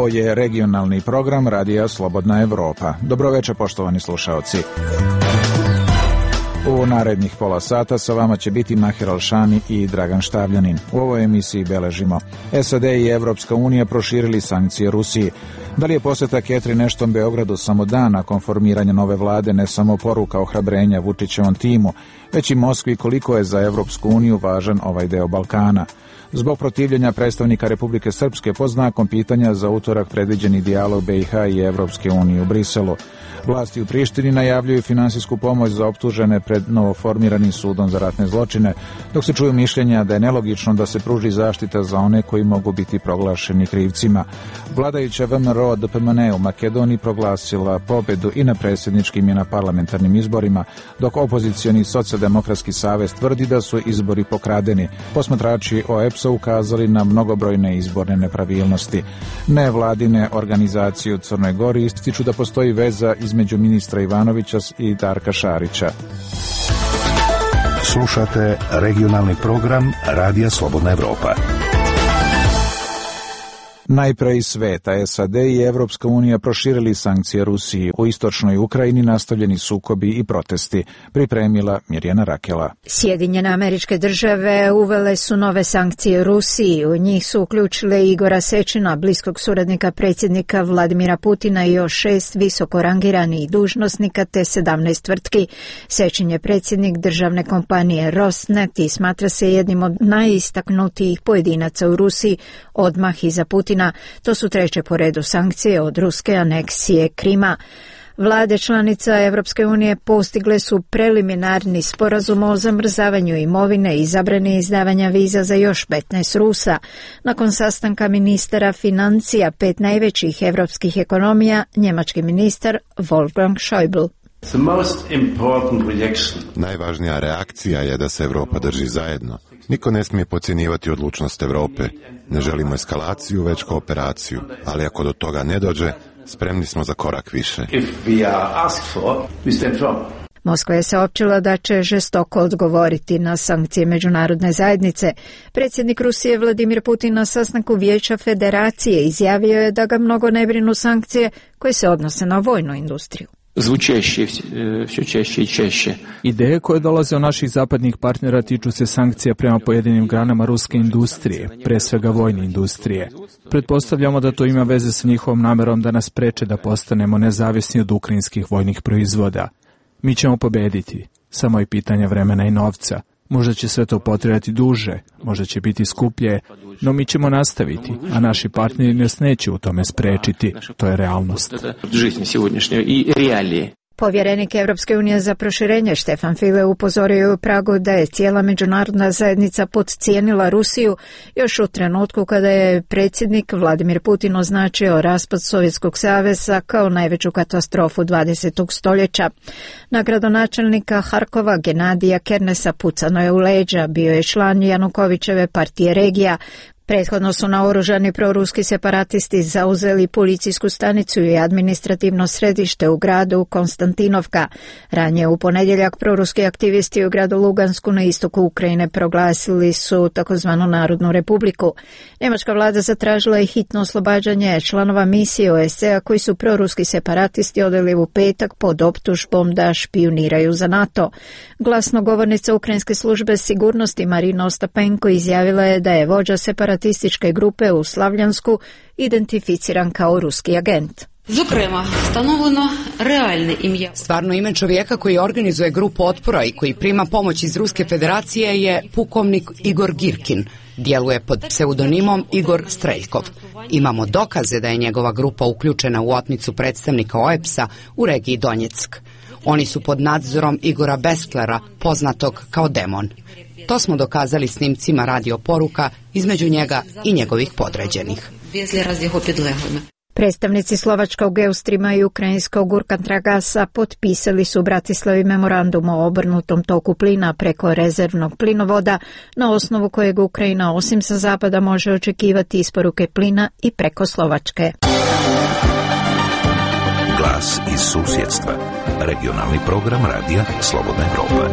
Ovo je regionalni program Radija Slobodna Evropa. Dobroveče, poštovani slušaoci. U narednih pola sata sa vama će biti Mahir Alšani i Dragan Štavljanin. U ovoj emisiji beležimo: SAD i Evropska unija proširili sankcije Rusiji. Da li je poseta Catherine Ashton Beogradu samo dan nakon formiranja nove vlade ne samo poruka ohrabrenja Vučićevom timu, već i Moskvi koliko je za Evropsku uniju važan ovaj deo Balkana? Zbog protivljenja predstavnika Republike Srpske pod znakom pitanja za utorak predviđeni dijalog BiH i Evropske unije u Briselu. Vlasti u Prištini najavljuju finansijsku pomoć za optužene pred novoformiranim sudom za ratne zločine, dok se čuju mišljenja da je nelogično da se pruži zaštita za one koji mogu biti proglašeni krivcima. Vladajuća VMRO DPMNE u Makedoniji proglasila pobedu i na predsjedničkim i na parlamentarnim izborima, dok opozicioni Socijaldemokratski savez tvrdi da su izbori pokradeni. Posmatrači OEBS-a ukazali na mnogobrojne izborne nepravilnosti. Nevladine organizacije u Crnoj Gori ističu da postoji veza između ministra Ivanovića i Darka Šarića. Slušate regionalni program Radija Slobodna Evropa. Najpre iz sveta, SAD i Evropska unija proširili sankcije Rusiji. U istočnoj Ukrajini nastavljeni sukobi i protesti. Pripremila Mirjana Rakela. Sjedinjene Američke Države uvele su nove sankcije Rusiji. U njih su uključile Igora Sečina, bliskog suradnika predsjednika Vladimira Putina, i još 6 visoko rangiranih dužnosnika te 17 tvrtki. Sečin je predsjednik državne kompanije Rosneft i smatra se jednim od najistaknutijih pojedinaca u Rusiji odmah iza Putina. To su treće po redu sankcije od ruske aneksije Krima. Vlade članica Evropske unije postigle su preliminarni sporazum o zamrzavanju imovine i zabrani izdavanja viza za još 15 Rusa. Nakon sastanka ministara financija 5 najvećih evropskih ekonomija, njemački ministar Wolfgang Schäuble. Najvažnija reakcija je da se Evropa drži zajedno. Niko ne smije podcjenjivati odlučnost Evrope. Ne želimo eskalaciju, već kooperaciju. Ali ako do toga ne dođe, spremni smo za korak više. Moskva je saopćila da će žestoko odgovoriti na sankcije međunarodne zajednice. Predsjednik Rusije Vladimir Putin na sastanku Vijeća Federacije izjavio je da ga mnogo ne brinu sankcije koje se odnose na vojnu industriju. Ideje koje dolaze od naših zapadnih partnera tiču se sankcija prema pojedinim granama ruske industrije, pre svega vojne industrije. Pretpostavljamo da to ima veze sa njihovom namerom da nas spreče da postanemo nezavisni od ukrajinskih vojnih proizvoda. Mi ćemo pobediti, samo je pitanje vremena i novca. Možda će sve to potrebati duže, možda će biti skuplje, no mi ćemo nastaviti, a naši partneri nas neće u tome sprečiti. To je realnost. Povjerenik Evropske unije za proširenje Štefan File upozorio je u Pragu da je cijela međunarodna zajednica podcijenila Rusiju još u trenutku kada je predsjednik Vladimir Putin označio raspad Sovjetskog saveza kao najveću katastrofu 20. stoljeća. Na gradonačelnika Harkova Genadija Kernesa pucano je u leđa, bio je član Janukovićeve partije Regija. Prethodno su naoružani proruski separatisti zauzeli policijsku stanicu i administrativno središte u gradu Konstantinovka. Ranije u ponedjeljak proruski aktivisti u gradu Lugansku na istoku Ukrajine proglasili su takozvanu Narodnu republiku. Njemačka vlada zatražila je hitno oslobađanje članova misije OSCE-a koji su proruski separatisti odveli u petak pod optužbom da špijuniraju za NATO. Glasnogovornica ukrajinske službe sigurnosti Marina Ostapenko izjavila je da je vođa separatističke grupe u Slavljansku identificiran kao ruski agent. Stvarno ime čovjeka koji organizuje grupu otpora i koji prima pomoć iz Ruske federacije je pukovnik Igor Girkin. Djeluje pod pseudonimom Igor Streljkov. Imamo dokaze da je njegova grupa uključena u otmicu predstavnika OEBS-a u regiji Donjeck. Oni su pod nadzorom Igora Bestlera, poznatog kao Demon. To smo dokazali snimcima radio poruka između njega i njegovih podređenih. Predstavnici slovačkog Eustrima i ukrajinskog Urkantragasa potpisali su u Bratislavi memorandum o obrnutom toku plina preko rezervnog plinovoda, na osnovu kojeg Ukrajina osim sa zapada može očekivati isporuke plina i preko Slovačke. Glas iz susjedstva. Regionalni program Radija Slobodna Evropa.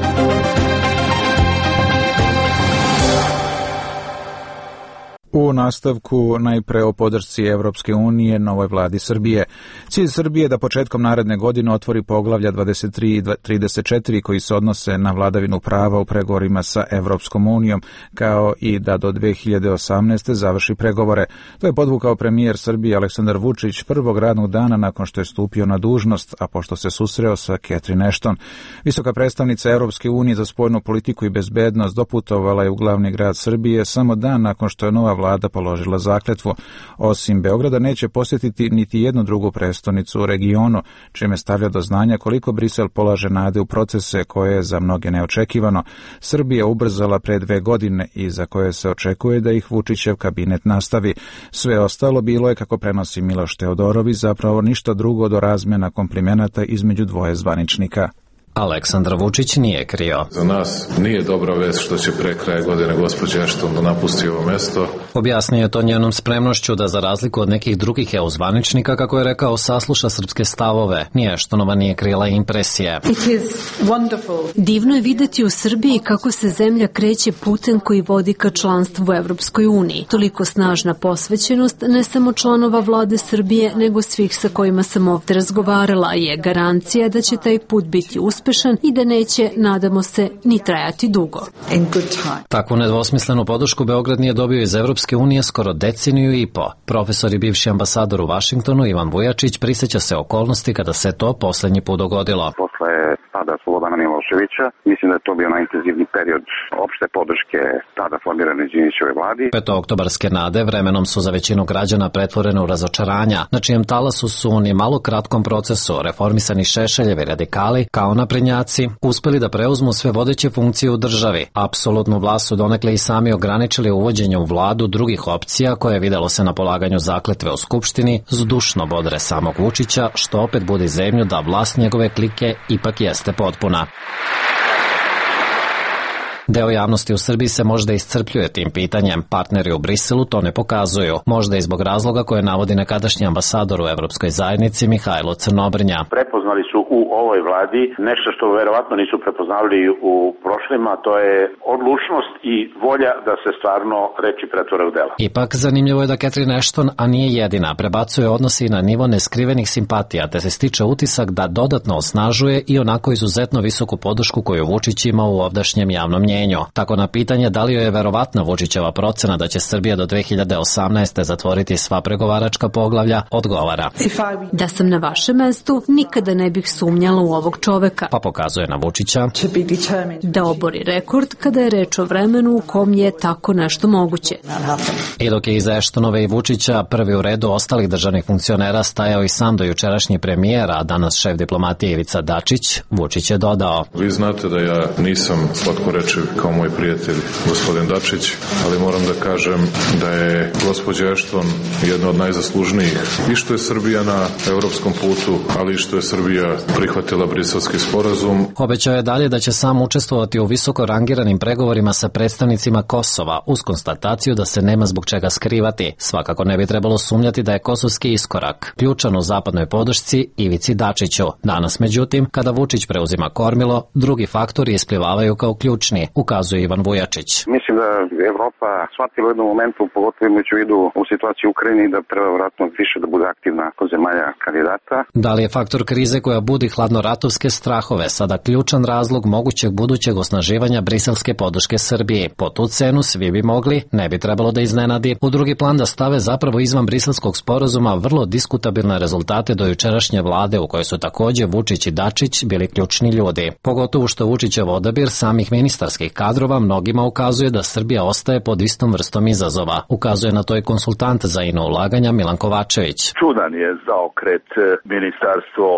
U nastavku najpre o podršci Evropske unije novoj vladi Srbije. Cilj Srbije je da početkom naredne godine otvori poglavlja 23 i 34 koji se odnose na vladavinu prava u pregovorima sa Evropskom unijom, kao i da do 2018. završi pregovore. To je podvukao premijer Srbije Aleksandar Vučić prvog radnog dana nakon što je stupio na dužnost, a pošto se susreo sa Catherine Ashton. Visoka predstavnica Evropske unije za spoljnu politiku i bezbednost doputovala je u glavni grad Srbije samo dan nakon što je nova vlada položila zakletvu. Osim Beograda neće posjetiti niti jednu drugu prestonicu u regionu, čime stavlja do znanja koliko Brisel polaže nade u procese koje je za mnoge neočekivano. Srbija ubrzala pre 2 godine i za koje se očekuje da ih Vučićev kabinet nastavi. Sve ostalo bilo je, kako prenosi Miloš Teodorović, zapravo ništa drugo do razmjena komplimenata između dvoje zvaničnika. Aleksandar Vučić nije krio. Za nas nije dobra vest što će pre kraja godine gospođa Ashton da napusti ovo mesto. Objasnio je to njenom spremnošću da za razliku od nekih drugih EU zvaničnika, kako je rekao, sasluša srpske stavove. Ni Ashtonova nije krila impresije. Divno je videti u Srbiji kako se zemlja kreće putem koji vodi ka članstvu u Evropskoj uniji. Toliko snažna posvećenost ne samo članova vlade Srbije, nego svih sa kojima sam ovde razgovarala je garancija da će taj put biti uspešan i da neće, nadamo se, ni trajati dugo. Takvu nedvosmislenu podršku Beograd nije dobio iz Evropske unije skoro deceniju i po. Profesor i bivši ambasador u Vašingtonu Ivan Vujačić prisjeća se okolnosti kada se to poslednji put dogodilo. Posle pada Slobodana Miloševića, mislim da je to bio najintenzivniji period opšte podrške tada formirane Đinđićeve vladi. Petooktobarske nade vremenom su za većinu građana pretvorene u razočaranja, na čijem talasu su u ni malo kratkom procesu reformisani Šešeljevi radikali, kao naprednjaci, uspeli da preuzmu sve vodeće funkcije u državi. Apsolutnu vlast su donekle i sami ograničili uvođenje u vladu drugih opcija, koje videlo se na polaganju zakletve u Skupštini, zdušno bodre samog Vučića, što opet budi zemlju da vlast njegove klike ipak jeste potpuna. Deo javnosti u Srbiji se možda iscrpljuje tim pitanjem. Partneri u Briselu to ne pokazuju. Možda i zbog razloga koje navodi nekadašnji ambasador u Evropskoj zajednici Mihajlo Crnobrnja. Prepoznali su u ovoj vladi nešto što verovatno nisu prepoznali u prošlima, to je odlučnost i volja da se stvarno reči pretvore u dela. Ipak zanimljivo je da Catherine Ashton, a nije jedina, prebacuje odnosi na nivo neskrivenih simpatija, te se stiče utisak da dodatno osnažuje i onako izuzetno visoku podršku koju Vučić ima u ovdašnjem javnom mnjenju. Tako na pitanje da li joj je verovatna Vučićeva procena da će Srbija do 2018. zatvoriti sva pregovaračka poglavlja, odgovara. Da sam na vašem mestu, nikada ne bih sumnjala u ovog čoveka. Pa pokazuje na Vučića da obori rekord kada je reč o vremenu u kom je tako nešto moguće. I dok je iza Ashtonove i Vučića prvi u redu ostalih državnih funkcionera stajao i sam do jučerašnji premijer, a danas šef diplomatije Ivica Dačić, Vučić je dodao. Vi znate da ja nisam slatkorečiv kao moj prijatelj gospodin Dačić, ali moram da kažem da je gospođa Ashton jedna od najzaslužnijih i što je Srbija na evropskom putu, ali i što je Srbija prihvatila Briselski sporazum. Obećao je dalje da će sam učestvovati u visoko rangiranim pregovorima sa predstavnicima Kosova, uz konstataciju da se nema zbog čega skrivati. Svakako ne bi trebalo sumnjati da je kosovski iskorak ključan u zapadnoj podršci Ivici Dačiću. Danas, međutim, kada Vučić preuzima kormilo, drugi faktori isplivavaju kao ključni, ukazuje Ivan Vujačić. Mislim da Evropa shvatila u jednom momentu, pogotovo imajući u vidu u situaciji u Ukrajini, da treba vratno više da bude aktivna kod zemalja kandidata. Da li je faktor krize koja budi hladnoratovske strahove sada ključan razlog mogućeg budućeg osnaživanja briselske podrške Srbiji? Po tu cenu svi bi mogli, ne bi trebalo da iznenadi, u drugi plan da stave zapravo izvan briselskog sporazuma vrlo diskutabilne rezultate do jučerašnje vlade u kojoj su takođe Vučić i Dačić bili ključni ljudi. Pogotovo što Vučićev odabir samih ministarskih kadrova mnogima ukazuje da Srbija ostaje pod istom vrstom izazova. Ukazuje na to i konsultant za ino ulaganja Milan Kovačević. Čudan je zaokret Ministarstvo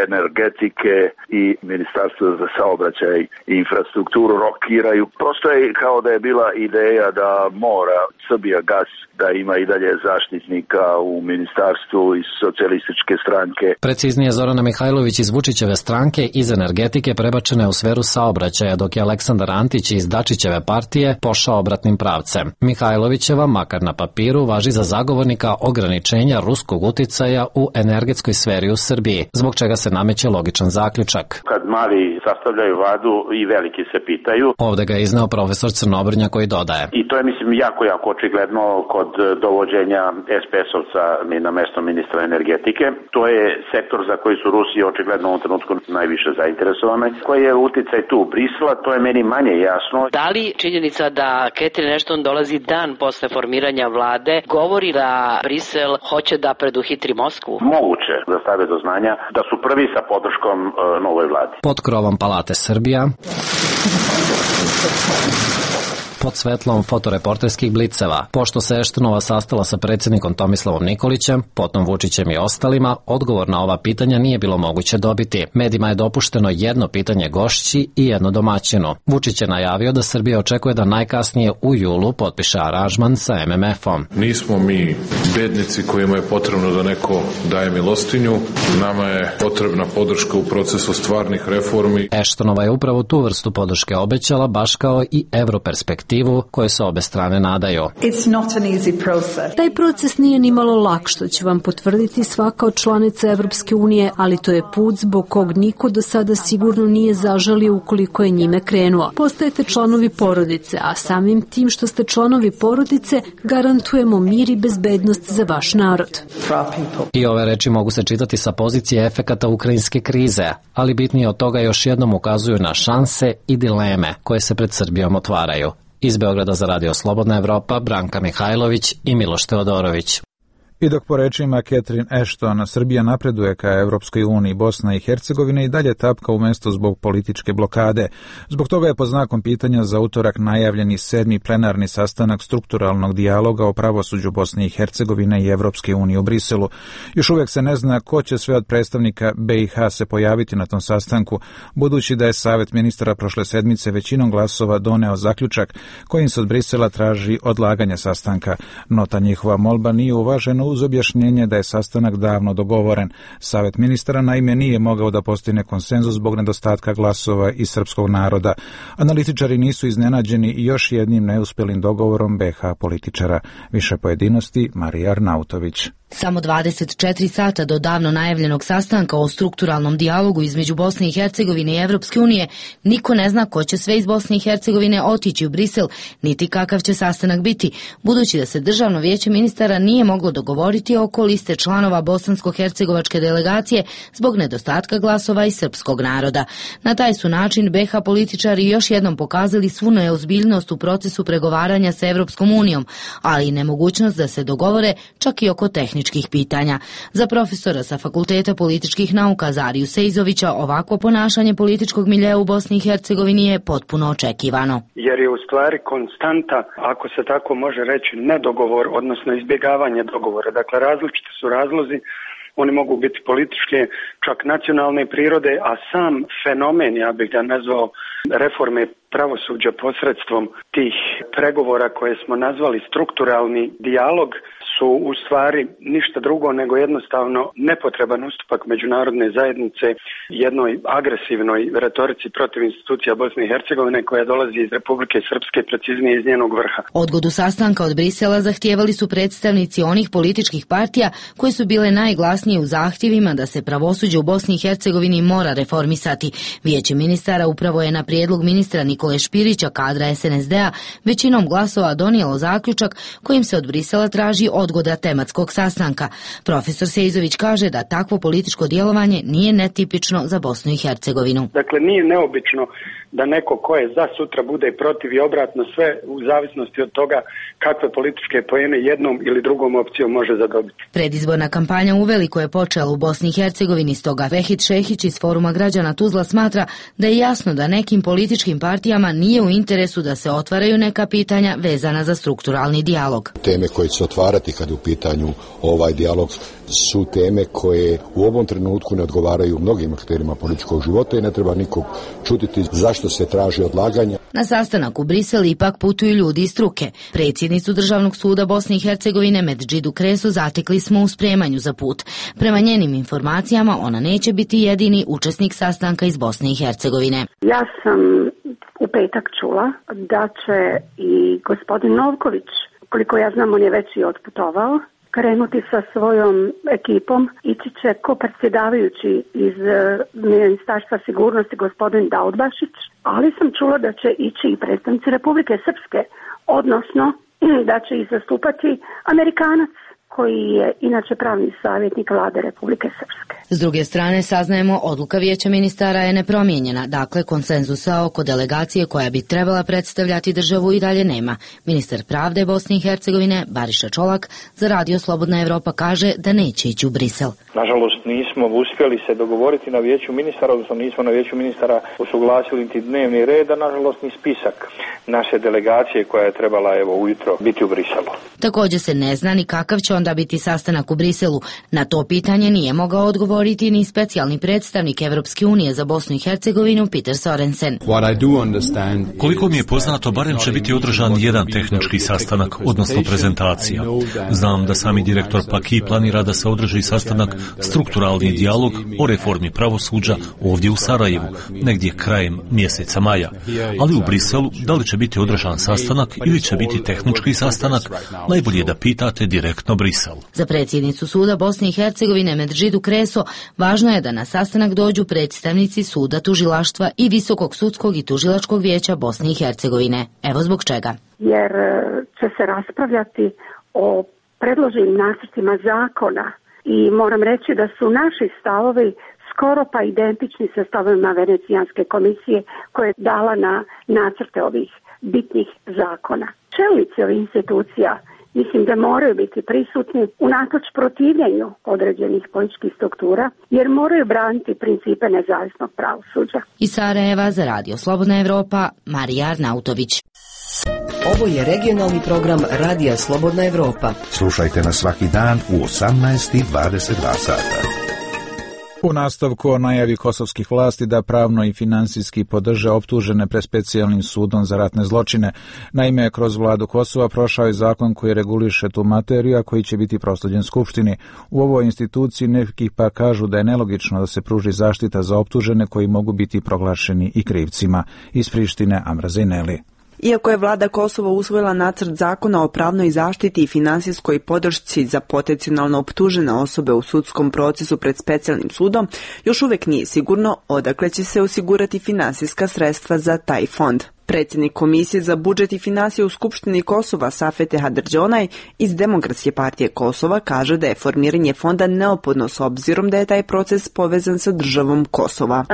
energetike i Ministarstvo za saobraćaj i infrastrukturu rokiraju. Prosto je kao da je bila ideja da mora Srbija gas da ima i dalje zaštitnika u ministarstvu iz socijalističke stranke. Preciznije, Zorana Mihajlović iz Vučićeve stranke iz energetike prebačena je u sferu saobraćaja, dok je Aleksandar Antić Vučić iz Dačićeve partije pošao obratnim pravcem. Mihajlovićeva, makar na papiru, važi za zagovornika ograničenja ruskog uticaja u energetskoj sferi u Srbiji, zbog čega se nameće logičan zaključak. Kad mali sastavljaju vladu i veliki se pitaju. Ovde ga je izneo profesor Crnobrnja koji dodaje. I to je, mislim, jako očigledno kod dovođenja SPS-ovca na mesto ministra energetike. To je sektor za koji su Rusi očigledno u ovom trenutku najviše zainteresovane. Koji je uticaj tu Brisela, to je meni manje jasno. Da li činjenica da Catherine Ashton dolazi dan posle formiranja vlade govori da Brisel hoće da preduhitri Moskvu? Moguće da stave do znanja da su prvi sa podrškom novoj vladi. Pod krovom Palate Srbija, pod svetlom fotoreporterskih bliceva, pošto se Eštonova sastala sa predsjednikom Tomislavom Nikolićem, potom Vučićem i ostalima, odgovor na ova pitanja nije bilo moguće dobiti. Medijima je dopušteno jedno pitanje gošći i jedno domaćinu. Vučić je najavio da Srbija očekuje da najkasnije u julu potpiše aranžman sa MMF-om. Nismo mi bednici kojima je potrebno da neko daje milostinju. Nama je potrebna podrška u procesu stvarnih reformi. Eštonova je upravo tu vrstu podrške obećala, baš kao i europerspektivu koje se obe strane nadaju. Taj proces nije ni malo lak, što će vam potvrditi svaka od članica Evropske unije, ali to je put zbog kog niko do sada sigurno nije zažalio ukoliko je njime krenuo. Postajete članovi porodice, a samim tim što ste članovi porodice garantujemo mir i bezbednost za vaš narod. I ove reči mogu se čitati sa pozicije efekata ukrajinske krize, ali bitnije od toga još jednom ukazuju na šanse i dileme koje se pred Srbijom otvaraju. Iz Beograda za Radio Slobodna Evropa, Branka Mihajlović i Miloš Teodorović. I dok po rečima Catherine Ashton Srbija napreduje ka Evropskoj uniji, Bosna i Hercegovina i dalje tapka u mesto zbog političke blokade. Zbog toga je pod znakom pitanja za utorak najavljeni 7. plenarni sastanak strukturalnog dijaloga o pravosuđu Bosne i Hercegovine i Evropske unije u Briselu. Još uvijek se ne zna ko će sve od predstavnika BiH se pojaviti na tom sastanku, budući da je Savet ministara prošle sedmice većinom glasova doneo zaključak kojim se od Brisela traži odlaganje sastanka. No ta njihova molba nije uvažena uz objašnjenje da je sastanak davno dogovoren. Savet ministara naime nije mogao da postigne konsenzus zbog nedostatka glasova iz srpskog naroda. Analitičari nisu iznenađeni i još jednim neuspelim dogovorom BiH političara. Više pojedinosti Marija Arnautović. Samo 24 sata do davno najavljenog sastanka o strukturalnom dijalogu između Bosne i Hercegovine i Evropske unije, niko ne zna ko će sve iz Bosne i Hercegovine otići u Brisel, niti kakav će sastanak biti, budući da se Državno vijeće ministara nije moglo dogovoriti oko liste članova bosansko-hercegovačke delegacije zbog nedostatka glasova iz srpskog naroda. Na taj su način BiH političari još jednom pokazali svu neozbiljnost u procesu pregovaranja sa Evropskom unijom, ali i nemogućnost da se dogovore čak i oko tehničkih pitanja. Za profesora sa Fakulteta političkih nauka Zariju Sejzovića ovakvo ponašanje političkog miljea u Bosni i Hercegovini je potpuno očekivano. Jer je u stvari konstanta, ako se tako može reći, nedogovor, odnosno izbjegavanje dogovora. Dakle, različiti su razlozi, oni mogu biti političke, čak nacionalne prirode, a sam fenomen, ja bih ga nazvao, reforme pravosuđa posredstvom tih pregovora koje smo nazvali strukturalni dijalog, su u stvari ništa drugo nego jednostavno nepotreban ustupak međunarodne zajednice jednoj agresivnoj retorici protiv institucija Bosne i Hercegovine koja dolazi iz Republike Srpske, preciznije iz njenog vrha. Odgodu sastanka od Brisela zahtijevali su predstavnici onih političkih partija koje su bile najglasnije u zahtjevima da se pravosuđe u Bosni i Hercegovini mora reformisati. Vijeće ministara upravo je na prijedlog ministra Nikole Špirića, kadra SNSD-a, većinom glasova donijelo zaključak kojim se od Brisela traži odgoda tematskog sastanka. Profesor Sejzović kaže da takvo političko djelovanje nije netipično za Bosnu i Hercegovinu. Dakle, nije neobično da neko ko je za sutra bude protiv i obratno, sve u zavisnosti od toga kakve političke poene jednom ili drugom opcijom može zadobiti. Predizborna kampanja uveliko je počela u Bosni i Hercegovini, stoga Vehid Šehić iz Foruma građana Tuzla smatra da je jasno da nekim političkim partijama nije u interesu da se otvaraju neka pitanja vezana za strukturalni dijalog. Teme koje će se otvarati kad u pitanju ovaj dijalog su teme koje u ovom trenutku ne odgovaraju mnogim akterima političkog života i ne treba nikog čuditi zašto se traži odlaganje. Na sastanak u Brisel ipak putuju ljudi iz struke. Predsjednicu Državnog suda Bosne i Hercegovine Medžidu Kresu zatekli smo u spremanju za put. Prema njenim informacijama ona neće biti jedini učesnik sastanka iz Bosne i Hercegovine. Ja sam u petak čula da će i gospodin Novković, koliko ja znam on je već i otputovao, krenuti sa svojom ekipom, ići će ko predsjedavajući iz Ministarstva sigurnosti gospodin Daudbašić, ali sam čula da će ići i predstavnici Republike Srpske, odnosno da će ih zastupati Amerikanac koji je inače pravni savjetnik vlade Republike Srpske. S druge strane, saznajemo, odluka Vijeća ministara je nepromijenjena, dakle konsenzusa oko delegacije koja bi trebala predstavljati državu i dalje nema. Ministar pravde Bosne i Hercegovine Bariša Čolak za Radio Slobodna Evropa kaže da neće ići u Brisel. Nažalost, nismo uspjeli se dogovoriti na Vijeću ministara, odnosno nismo na Vijeću ministara usuglasili niti dnevni red, a nažalost ni spisak naše delegacije koja je trebala ujutro biti u Briselu. Također se ne zna ni kakav će onda biti sastanak u Briselu. Na to pitanje nije mogao odgovoriti ni specijalni predstavnik Evropske unije za Bosnu i Hercegovinu Peter Sorensen. Koliko mi je poznato, barem će biti održan jedan tehnički sastanak, odnosno prezentacija. Znam da sami direktor Paki planira da se održi sastanak strukturalni dijalog o reformi pravosuđa ovdje u Sarajevu, negdje krajem mjeseca maja. Ali u Briselu, da li će biti održan sastanak ili će biti tehnički sastanak, najbolje je da pitate direktno Brisel. Za predsjednicu suda Bosne i Hercegovine Medžidu Kreso važno je da na sastanak dođu predstavnici suda, tužilaštva i Visokog sudskog i tužilačkog vijeća Bosne i Hercegovine. Evo zbog čega. Jer će se raspravljati o predloženim nacrtima zakona i moram reći da su naši stavovi skoro pa identični sa stavovima Venecijanske komisije koja je dala na nacrte ovih bitnih zakona. Čelnici ovih institucija mislim da moraju biti prisutni unatoč protivljenju određenih političkih struktura, jer moraju braniti principe nezavisnog pravosuđa. Iz Sarajeva za Radio Slobodna Evropa, Marija Arnautović. Ovo je regionalni program Radija Slobodna Evropa. Slušajte nas svaki dan u 18:22 sata. U nastavku o najavi kosovskih vlasti da pravno i finansijski podrže optužene pred specijalnim sudom za ratne zločine. Naime, kroz vladu Kosova prošao je zakon koji reguliše tu materiju, a koji će biti proslijeđen Skupštini. U ovoj instituciji neki pa kažu da je nelogično da se pruži zaštita za optužene koji mogu biti proglašeni i krivcima. Iz Prištine Amra Zineli. Iako je vlada Kosova usvojila nacrt zakona o pravnoj zaštiti i finansijskoj podršci za potencijalno optužene osobe u sudskom procesu pred specijalnim sudom, još uvijek nije sigurno odakle će se osigurati finansijska sredstva za taj fond. Predsjednik Komisije za budžet i financije u Skupštini Kosova Safete Hadrđonaj iz Demokratske partije Kosova kaže da je formiranje fonda neophodno s obzirom da je taj proces povezan sa državom Kosova.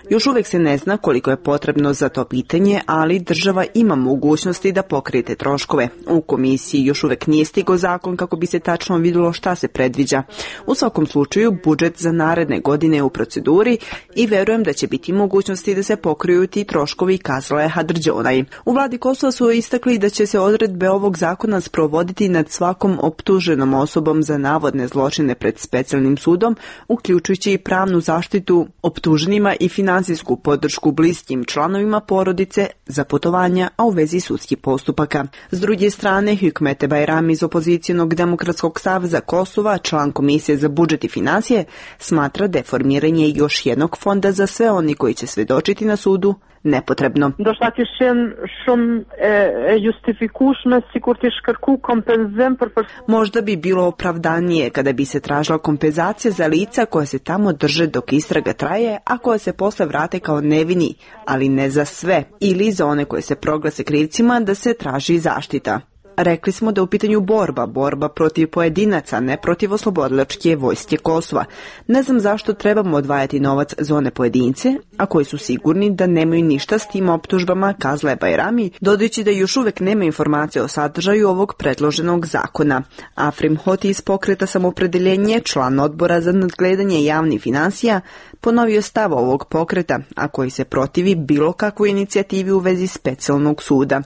Još uvijek se ne zna koliko je potrebno za to pitanje, ali država ima mogućnosti da pokrije te troškove. U Komisiji još uvijek nije stigao zakon kako bi se tačno vidjelo šta se predviđa. U svakom slučaju, budžet za naredne godine je u proceduri i verujem da će biti mogućnosti da se pokriju ti troškovi, kazala je Hadrđonaj. U vladi Kosova su istakli da će se odredbe ovog zakona sprovoditi nad svakom optuženom osobom za navodne zločine pred specijalnim sudom, uključujući i pravnu zaštitu optuženima i finansijsku podršku bliskim članovima porodice za putovanja, a u vezi sudskih postupaka. S druge strane, Hükmete Bajram iz opozicijonog Demokratskog saveza Kosova, član Komisije za budžet i financije, smatra da je formiranje još jednog fonda za sve oni koji će svjedočiti na sudu nepotrebno. Možda bi bilo opravdanije kada bi se tražila kompenzacija za lica koja se tamo drže dok istraga traje, a koja se posle vrate kao nevini, ali ne za sve, ili za one koje se proglase krivcima da se traži zaštita. Rekli smo da je u pitanju borba protiv pojedinaca, ne protiv oslobodilačke vojske Kosova. Ne znam zašto trebamo odvajati novac za one pojedince, a koji su sigurni da nemaju ništa s tim optužbama, kazala je Bajrami, dodajući da još uvijek nema informacije o sadržaju ovog predloženog zakona. Afrim Hoti iz pokreta Samoopredjeljenje, član odbora za nadgledanje javnih financija, ponovio stav ovog pokreta, a koji se protivi bilo kakvoj inicijativi u vezi specijalnog suda.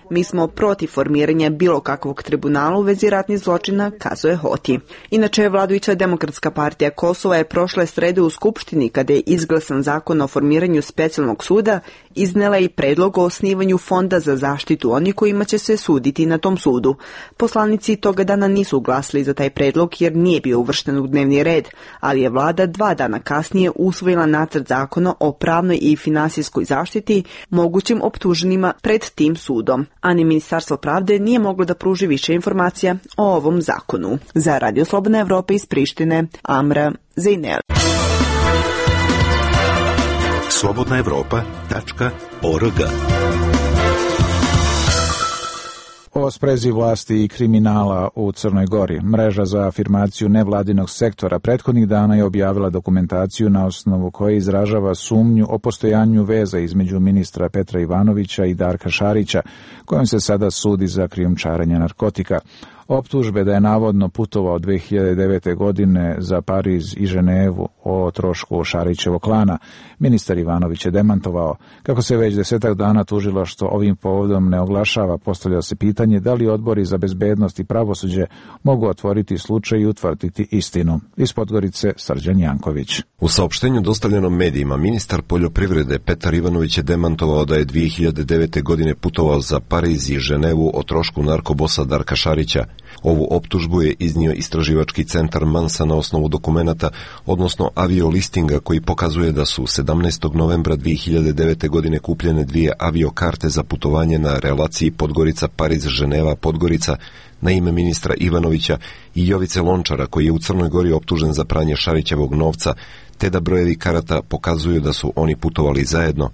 Mi smo protiv formiranja bilo kakvog tribunala u vezi ratnih zločina, kazuje Hoti. Inače, vladajuća Demokratska partija Kosova je prošle srede u Skupštini, kada je izglasan zakon o formiranju specijalnog suda, iznela i predlog o osnivanju fonda za zaštitu onih kojima će se suditi na tom sudu. Poslanici toga dana nisu glasili za taj predlog jer nije bio uvršten u dnevni red, ali je vlada 2 dana kasnije usvojila nacrt zakona o pravnoj i finansijskoj zaštiti mogućim optuženima pred tim sudom, a ni Ministarstvo pravde nije moglo da pruži više informacija o ovom zakonu. Za Radio Slobodna Evropa iz Prištine, Amra Zejnel. slobodnaevropa.org. O sprezi vlasti i kriminala u Crnoj Gori. Mreža za afirmaciju nevladinog sektora prethodnih dana je objavila dokumentaciju na osnovu koje izražava sumnju o postojanju veza između ministra Petra Ivanovića i Darka Šarića, kojom se sada sudi za krijumčarenje narkotika. Optužbe da je navodno putovao 2009. godine za Pariz i Ženevu o trošku Šarićevog klana, ministar Ivanović je demantovao. Kako se već 10 dana tužilaštvo ovim povodom ne oglašava, postavlja se pitanje da li odbori za bezbednost i pravosuđe mogu otvoriti slučaj i utvrditi istinu. Iz Podgorice, Srđan Janković. U saopštenju dostavljenom medijima, ministar poljoprivrede Petar Ivanović je demantovao da je 2009. godine putovao za Pariz i Ženevu o trošku narkobosa Darka Šarića. Ovu optužbu je iznio istraživački centar Mansa na osnovu dokumenata, odnosno aviolistinga koji pokazuje da su 17. novembra 2009. godine kupljene 2 aviokarte za putovanje na relaciji Podgorica-Pariz-Ženeva-Podgorica na ime ministra Ivanovića i Jovice Lončara, koji je u Crnoj Gori optužen za pranje Šarićevog novca, te da brojevi karata pokazuju da su oni putovali zajedno.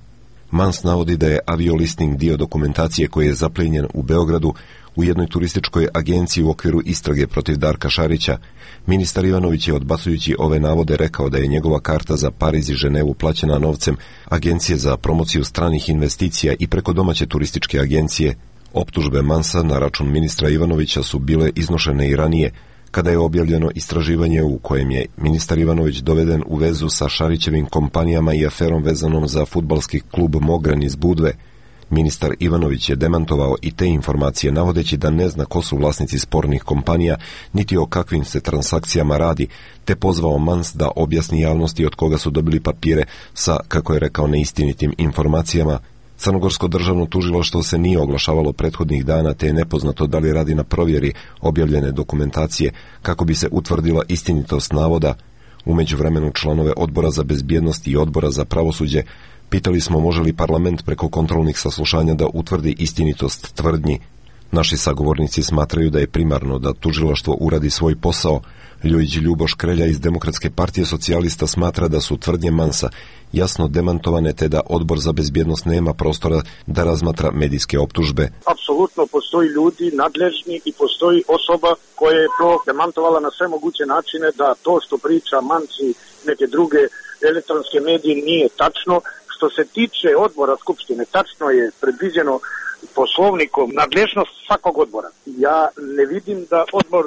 Mans navodi da je aviolisting dio dokumentacije koji je zaplijenjen u Beogradu u jednoj turističkoj agenciji u okviru istrage protiv Darka Šarića. Ministar Ivanović je, odbacujući ove navode, rekao da je njegova karta za Pariz i Ženevu plaćena novcem Agencije za promociju stranih investicija i preko domaće turističke agencije. Optužbe Mansa na račun ministra Ivanovića su bile iznošene i ranije, kada je objavljeno istraživanje u kojem je ministar Ivanović doveden u vezu sa Šarićevim kompanijama i aferom vezanom za fudbalski klub Mogran iz Budve. Ministar Ivanović je demantovao i te informacije, navodeći da ne zna ko su vlasnici spornih kompanija, niti o kakvim se transakcijama radi, te pozvao Mans da objasni javnosti od koga su dobili papire sa, kako je rekao, neistinitim informacijama. Crnogorsko državno tužilaštvo se nije oglašavalo prethodnih dana, te je nepoznato da li radi na provjeri objavljene dokumentacije kako bi se utvrdila istinitost navoda. U međuvremenu članove Odbora za bezbjednost i Odbora za pravosuđe pitali smo može li parlament preko kontrolnih saslušanja da utvrdi istinitost tvrdnji. Naši sagovornici smatraju da je primarno da tužilaštvo uradi svoj posao. Ljujić Ljuboš Krelja iz Demokratske partije socijalista smatra da su tvrdnje Mansa jasno demantovane, te da Odbor za bezbjednost nema prostora da razmatra medijske optužbe. Apsolutno postoji ljudi nadležni i postoji osoba koja je to demantovala na sve moguće načine da to što priča Mans i neke druge elektronske medije nije tačno. Što se tiče odbora Skupštine, tačno je predviđeno poslovnikom nadležnost svakog odbora. Ja ne vidim da Odbor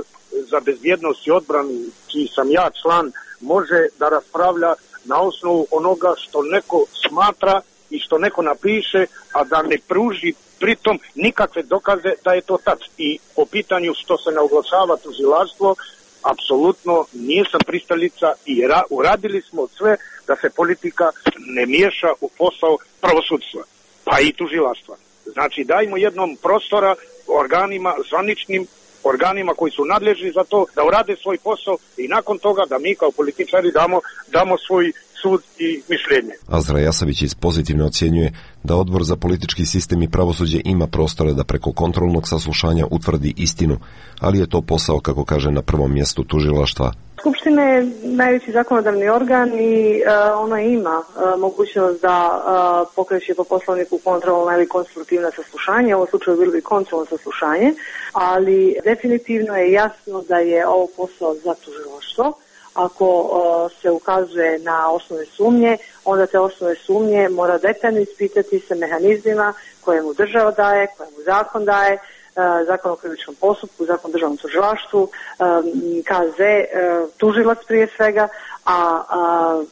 za bezbjednost i odbranu, čiji sam ja član, može da raspravlja na osnovu onoga što neko smatra i što neko napiše, a da ne pruži pritom nikakve dokaze da je to tačno. I po pitanju što se ne oglašava tužilaštvo, apsolutno nisam pristalica i uradili smo sve da se politika ne miješa u posao pravosudstva, pa i tužilaštva. Znači, dajmo jednom prostora organima, zvaničnim organima koji su nadležni za to, da urade svoj posao i nakon toga da mi kao političari damo svoj sud i mišljenje. Azra Jasavić iz Pozitivne ocjenjuje da Odbor za politički sistem i pravosuđe ima prostora da preko kontrolnog saslušanja utvrdi istinu, ali je to posao, kako kaže, na prvom mjestu tužilaštva. Skupština je najveći zakonodavni organ i ona ima mogućnost da pokreće po poslovniku kontrolna ili konstruktivna saslušanja. U ovom slučaju bilo bi kontrolno saslušanje, ali definitivno je jasno da je ovo posao za tužilaštvo. Ako se ukazuje na osnovne sumnje, onda te osnovne sumnje mora detaljno ispitati sa mehanizmima koje mu država daje, koje mu zakon daje, zakon o krivičnom postupku, zakon o državnom tužilaštvu, KZ, tužilac prije svega, a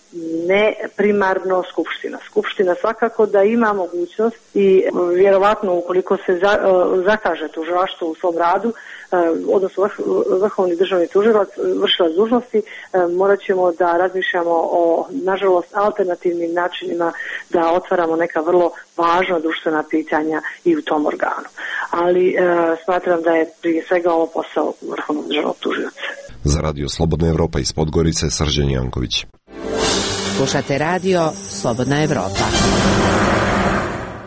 ne primarno Skupština. Skupština svakako da ima mogućnost i vjerovatno ukoliko se zakaže tužilaštvo u svom radu, odnosno vrhovni državni tužilac, vršilac dužnosti, morat ćemo da razmišljamo o, nažalost, alternativnim načinima da otvaramo neka vrlo važna društvena pitanja i u tom organu. Ali smatram da je prije svega ovo posao vrhovnog državnog tužioca. Za Radio Slobodna Evropa iz Podgorice, Srđan Janković. Slušate radio Slobodna Evropa.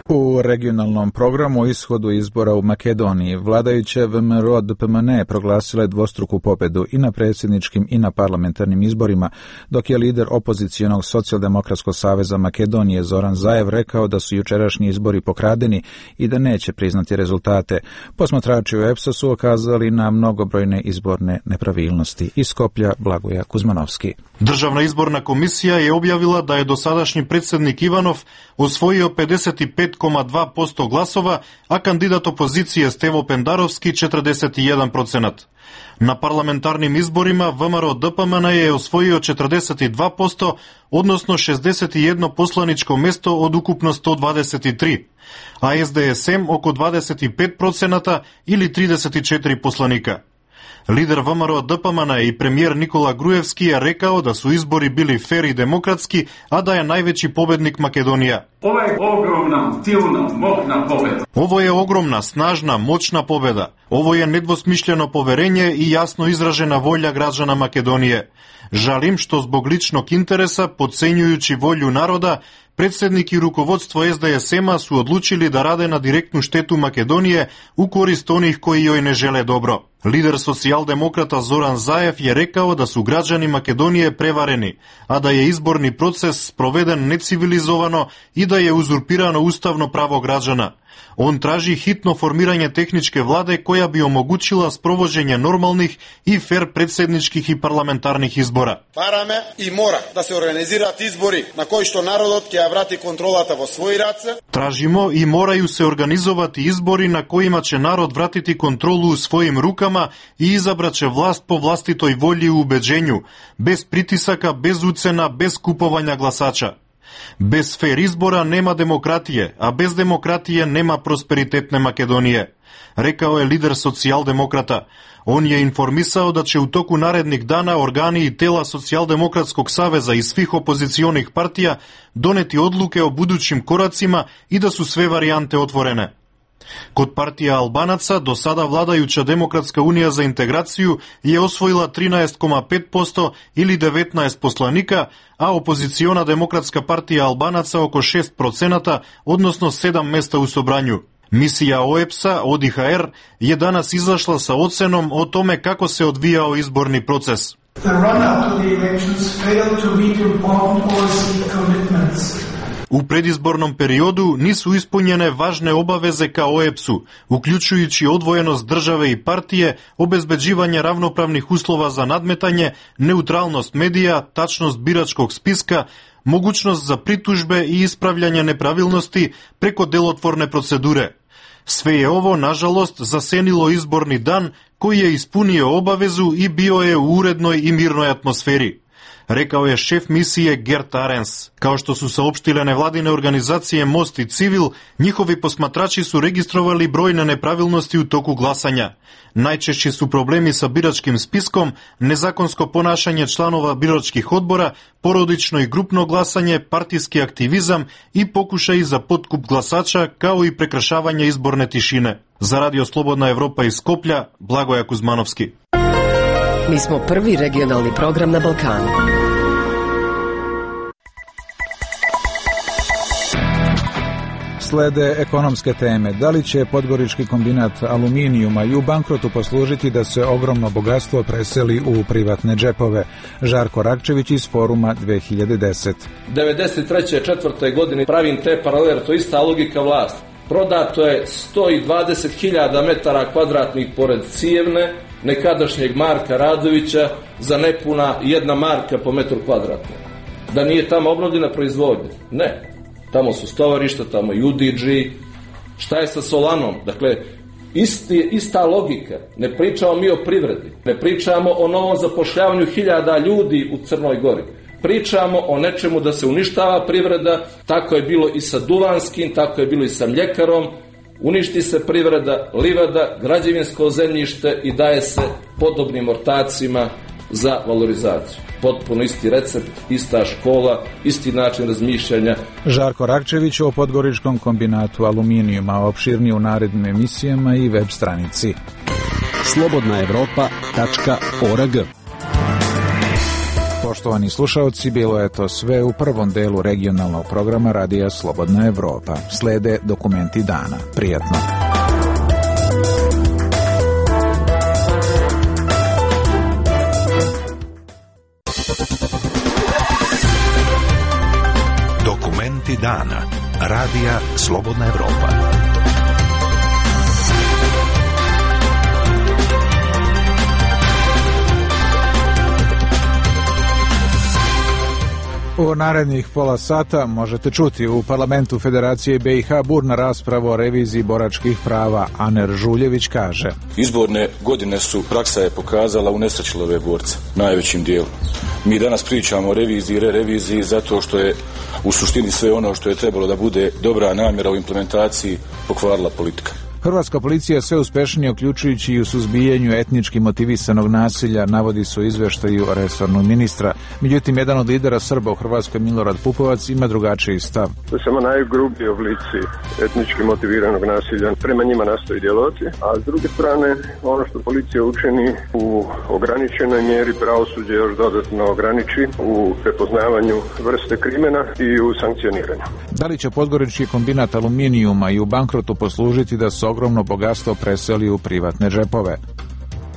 U regionalnom programu o ishodu izbora u Makedoniji vladajuće VMRO DPMNE proglasile dvostruku pobedu i na predsjedničkim i na parlamentarnim izborima, dok je lider opozicionog Socijaldemokratskog saveza Makedonije Zoran Zaev rekao da su jučerašnji izbori pokradeni i da neće priznati rezultate. Posmatrači u EPS-u su ukazali na mnogobrojne izborne nepravilnosti. Iz Skoplja Blagoja Kuzmanovski. Državna izborna komisija je objavila da je dosadašnji predsjednik Ivanov osvojio 55,2% glasova, a kandidat opozicije Stevo Pendarovski 41%. Na parlamentarnim izborima VMRO DPMN je osvojio 42%, odnosno 61 poslaničko mesto od ukupno 123, a SDSM oko 25% ili 34 poslanika. Lider VMRO DPMN i premijer Nikola Grujevski je rekao da su izbori bili fer i demokratski, a da je najveći pobednik Makedonija. Ovo je ogromna, silna, moćna pobeda. Ovo je ogromna, snažna, moćna pobeda. Ovo je nedvosmišljeno poverenje i jasno izražena volja građana Makedonije. Žalim što zbog ličnog interesa, podcenjujući volju naroda, predsjednik i rukovodstvo SDSM-a su odlučili da rade na direktnu štetu Makedonije u korist onih koji joj ne žele dobro. Lider socijaldemokrata Zoran Zaev je rekao da su građani Makedonije prevareni, a da je izborni proces sproveden necivilizovano i da je uzurpirano ustavno pravo građana. On traži hitno formiranje tehničke vlade koja bi omogućila sprovođenje normalnih i fer predsjedničkih i parlamentarnih izbora. Параме и мора да се организираат избори на кои што народот ќе ја врати контролата во своји раце. Tražimo i moraju se organizovati izbori na kojima će narod vratiti kontrolu u svojim rukama i izabraće vlast po vlastitoj volji i ubeđenju, bez pritisaka, bez ucena, bez kupovanja glasača. Bez fer izbora nema demokratije, a bez demokratije nema prosperitetne Makedonije, rekao je lider socijaldemokrata. On je informisao da će u toku narednih dana organi i tela Socijaldemokratskog saveza i svih opozicionih partija doneti odluke o budućim koracima i da su sve varijante otvorene. Kod partija Albanaca, do sada vladajuća Demokratska unija za integraciju je osvojila 13,5% ili 19 poslanika, a opoziciona Demokratska partija Albanaca oko 6%, odnosno 7 mesta u sobranju. Misija OEPS-a, ODIHR, je danas izašla sa ocenom o tome kako se odvijao izborni proces. The run-up to the elections failed to meet important policy commitments. U predizbornom periodu nisu ispunjene važne obaveze ka OEPS-u, uključujući odvojenost države i partije, obezbeđivanje ravnopravnih uslova za nadmetanje, neutralnost medija, tačnost biračkog spiska, mogućnost za pritužbe i ispravljanje nepravilnosti preko delotvorne procedure. Sve je ovo, nažalost, zasenilo izborni dan koji je ispunio obavezu i bio je u urednoj i mirnoj atmosferi, rekao je šef misije Gert Arens. Kao što su saopštile nevladine organizacije Most i Civil, njihovi posmatrači su registrovali brojne nepravilnosti u toku glasanja. Najčešći su problemi sa biračkim spiskom, nezakonsko ponašanje članova biračkih odbora, porodično i grupno glasanje, partijski aktivizam i pokušaj za potkup glasača, kao i prekršavanje izborne tišine. Za Radio Slobodna Evropa iz Skoplja, Blagoja Kuzmanovski. Mi smo prvi regionalni program na Balkanu. Slede ekonomske teme. Da li će podgorički kombinat aluminijuma i u bankrotu poslužiti da se ogromno bogatstvo preseli u privatne džepove? Žarko Rakčević iz Foruma 2010. 93. godine pravim te paralele, to je ista logika vlasti. Prodato je 120.000 metara kvadratnih pored Cijevne, nekadašnjeg Marka Radovića, za nepuna 1 marka po metru kvadratnom. Da nije tamo obnovljena proizvodnja? Ne. Tamo su stovarišta, tamo i UDG. Šta je sa Solanom? Dakle, Ista logika. Ne pričamo mi o privredi. Ne pričamo o novom zapošljavanju 1000 ljudi u Crnoj Gori. Pričamo o nečemu da se uništava privreda, tako je bilo i sa Duvanskim, tako je bilo i sa mljekarom. Uništi se privreda, livada, građevinsko zemljište i daje se podobnim ortacima za valorizaciju. Potpuno isti recept, ista škola, isti način razmišljanja. Žarko Rakčević o Podgoričkom kombinatu aluminijuma, opširnije u narednim emisijama i web stranici. slobodnaevropa.org. Poštovani slušaoci, bilo je to sve u prvom delu regionalnog programa Radija Slobodna Evropa. Slede dokumenti dana. Prijatno. Dokumenti dana. Radija Slobodna Evropa. U narednih pola sata možete čuti u parlamentu Federacije BiH burna rasprava o reviziji boračkih prava. Aner Žuljević kaže: Izborne godine praksa je pokazala unesrećile ove borce, najvećim dijelom. Mi danas pričamo o reviziji i reviziji zato što je u suštini sve ono što je trebalo da bude dobra namjera u implementaciji pokvarila politika. Hrvatska policija sve uspešnije, uključujući i u suzbijanju etnički motivisanog nasilja, navodi se u izveštaju resornog ministra. Međutim, jedan od lidera Srba u Hrvatskoj, Milorad Pupovac, ima drugačiji stav. To je samo najgrublji oblici etnički motiviranog nasilja. Prema njima nastoji djelovati, a s druge strane, ono što policija učini u ograničenoj mjeri, pravosuđe još dodatno ograniči u prepoznavanju vrste krimena i u sankcioniranju. Da li će Podgorički kombinat aluminijuma i u bankrotu poslužiti da se ogromno bogatstvo preseli u privatne džepove?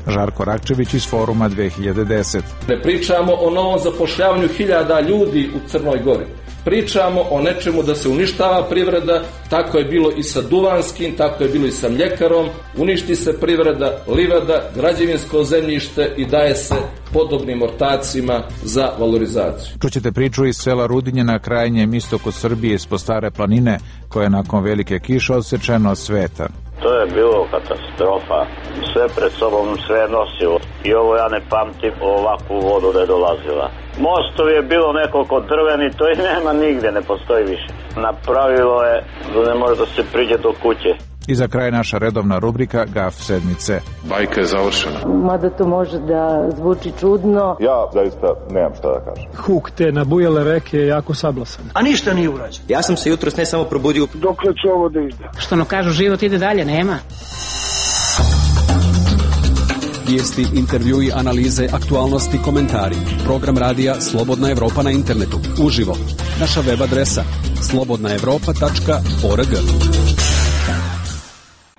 Žarko Rakčević iz Foruma 2010. Ne pričamo o novom zapošljavanju 1000 ljudi u Crnoj Gori. Pričamo o nečemu da se uništava privreda, tako je bilo i sa Duvanskim, tako je bilo i sa mljekarom. Uništi se privreda, livada, građevinsko zemljište i daje se podobnim ortacima za valorizaciju. Čućete priču iz sela Rudinje na krajnjem istoku Srbije ispod Stare planine, koje je nakon velike kiše odsečeno od sveta. To je bilo katastrofa. Sve pred sobom sve nosilo. I ovo ja ne pamtim ovakvu vodu da je dolazila. Mostovi je bilo nekoliko drveni, to i nema nigde, ne postoji više. Napravilo je da ne može da se priđe do kuće. I za kraj naša redovna rubrika Gaf sedmice. Bajka je završena. Mada to može da zvuči čudno. Ja zaista nemam šta da kažem. Huk te nabujale reke je jako sablasan. A ništa nije urađeno. Ja sam se jutros ne samo probudio. Dokle će ovo da ide? Što ono kažu, život ide dalje, nema. Vijesti, intervjui, analize, aktualnosti, komentari. Program radija Slobodna Evropa na internetu. Uživo. Naša web adresa slobodnaevropa.org.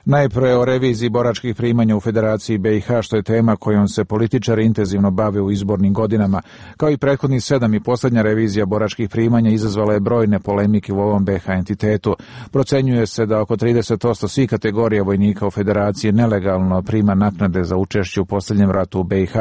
Najprije o reviziji boračkih primanja u Federaciji BiH, što je tema kojom se političari intenzivno bave u izbornim godinama. Kao i prethodnih 7 i posljednja revizija boračkih primanja izazvala je brojne polemike u ovom BiH entitetu. Procenjuje se da oko 30% svih kategorija vojnika u Federaciji nelegalno prima naknade za učešće u posljednjem ratu u BiH.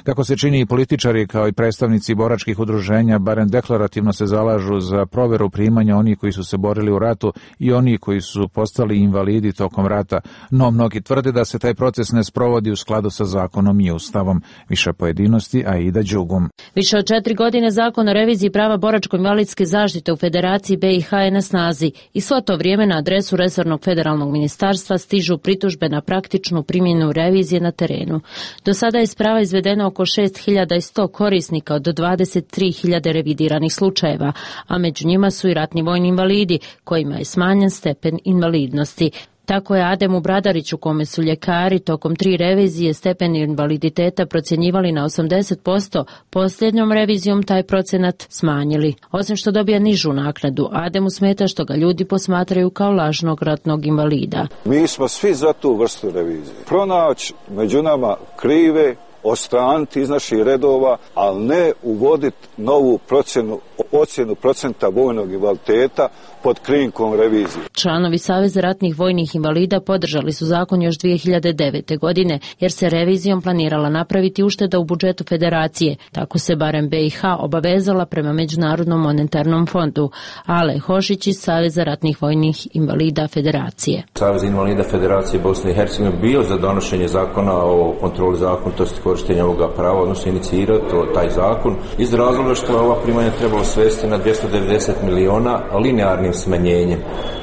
Kako se čini, i političari kao i predstavnici boračkih udruženja barem deklarativno se zalažu za proveru primanja onih koji su se borili u ratu i onih koji su postali invalidi tokom rata, no mnogi tvrde da se taj proces ne sprovodi u skladu sa zakonom i ustavom. Više pojedinosti, Aida Đugum. Više od 4 godine zakon o reviziji prava boračko-invalidske zaštite u Federaciji BiH je na snazi i svo to vrijeme na adresu resornog federalnog ministarstva stižu pritužbe na praktičnu primjenu revizije na terenu. Do sada je sprava izvedeno oko 6100 korisnika od 23.000 revidiranih slučajeva, a među njima su i ratni vojni invalidi, kojima je smanjen stepen invalidnosti. Tako je Ademu Bradariću, kome su ljekari tokom 3 revizije stepen invaliditeta procjenjivali na 80%, posljednjom revizijom taj procenat smanjili. Osim što dobija nižu naknadu, Ademu smeta što ga ljudi posmatraju kao lažnog ratnog invalida. Mi smo svi za tu vrstu revizije. Pronaći među nama krive odstraniti iz naših redova, ali ne uvoditi novu ocjenu procenta vojnog invaliditeta pod krinkom revizije. Članovi Saveza ratnih vojnih invalida podržali su zakon još 2009. godine, jer se revizijom planirala napraviti ušteda u budžetu federacije. Tako se barem BiH obavezala prema Međunarodnom monetarnom fondu. Ale Hošić iz Saveza ratnih vojnih invalida federacije. Savez invalida federacije Bosne i Hercegovine bio za donošenje zakona o kontroli zakonitosti korištenja ovoga prava, odnosno inicirati taj zakon iz razloga što je ova primanja trebalo svesti na 290 miliona linearnim smanjenjem.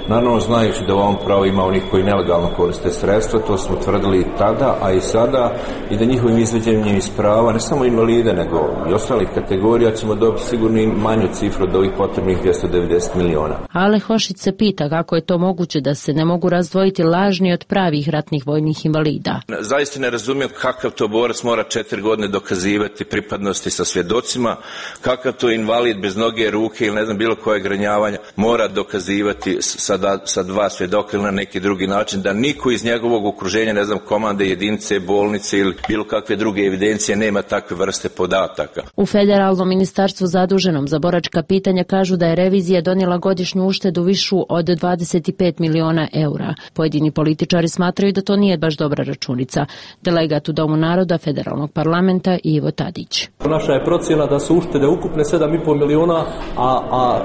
Naravno, znajući da u ovom pravu ima onih koji nelegalno koriste sredstva, to smo tvrdili i tada, a i sada, i da njihovim izveđenjem iz prava, ne samo invalide, nego i ostalih kategorija, ćemo dobiti sigurno i manju cifru od ovih potrebnih 290 miliona. Ale Hošić se pita kako je to moguće da se ne mogu razdvojiti lažni od pravih ratnih vojnih invalida. Zaista ne razumijem kakav to borac mora 4 godine dokazivati pripadnosti sa svjedocima, kakav to invalid bez noge, ruke ili ne znam bilo kojeg ranjavanja mora dokazivati sa 2 svjedoka ili na neki drugi način, da niko iz njegovog okruženja, ne znam, komande, jedinice, bolnice ili bilo kakve druge evidencije nema takve vrste podataka. U Federalnom ministarstvu zaduženom za boračka pitanja kažu da je revizija donijela godišnju uštedu višu od 25 miliona eura. Pojedini političari smatraju da to nije baš dobra računica. Delegat u Domu naroda Federalnog parlamenta Ivo Tadić. Naša je procjena da su uštede ukupne 7,5 miliona, a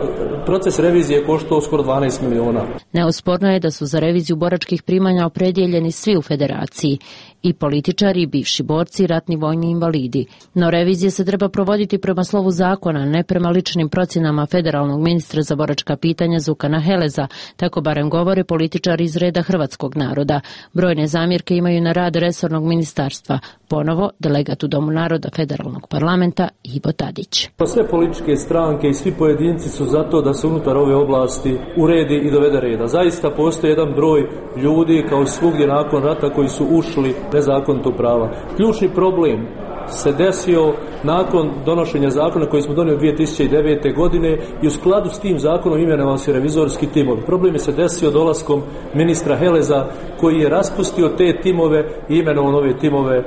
proces revizije koštao skoro 12 miliona. Neosporno je da su za reviziju boračkih primanja opredijeljeni svi u federaciji, i političari, i bivši borci, i ratni vojni invalidi. No revizija se treba provoditi prema slovu zakona, ne prema ličnim procjenama federalnog ministra za boračka pitanja Zukana Heleza, tako barem govore političari iz reda hrvatskog naroda. Brojne zamjerke imaju na rad resornog ministarstva. Ponovo, delegat u Domu naroda Federalnog parlamenta Ivo Tadić. Sve političke stranke i svi pojedinci su zato da se unutar ove oblasti uredi i dovede reda. Zaista postoji jedan broj ljudi, kao svugdje nakon rata, koji su ušli nezakonito prava. Ključni problem se desio nakon donošenja zakona koji smo donijeli 2009. godine i u skladu s tim zakonom imenovali se revizorski timovi. Problem je se desio dolaskom ministra Heleza, koji je raspustio te timove i imenovao nove timove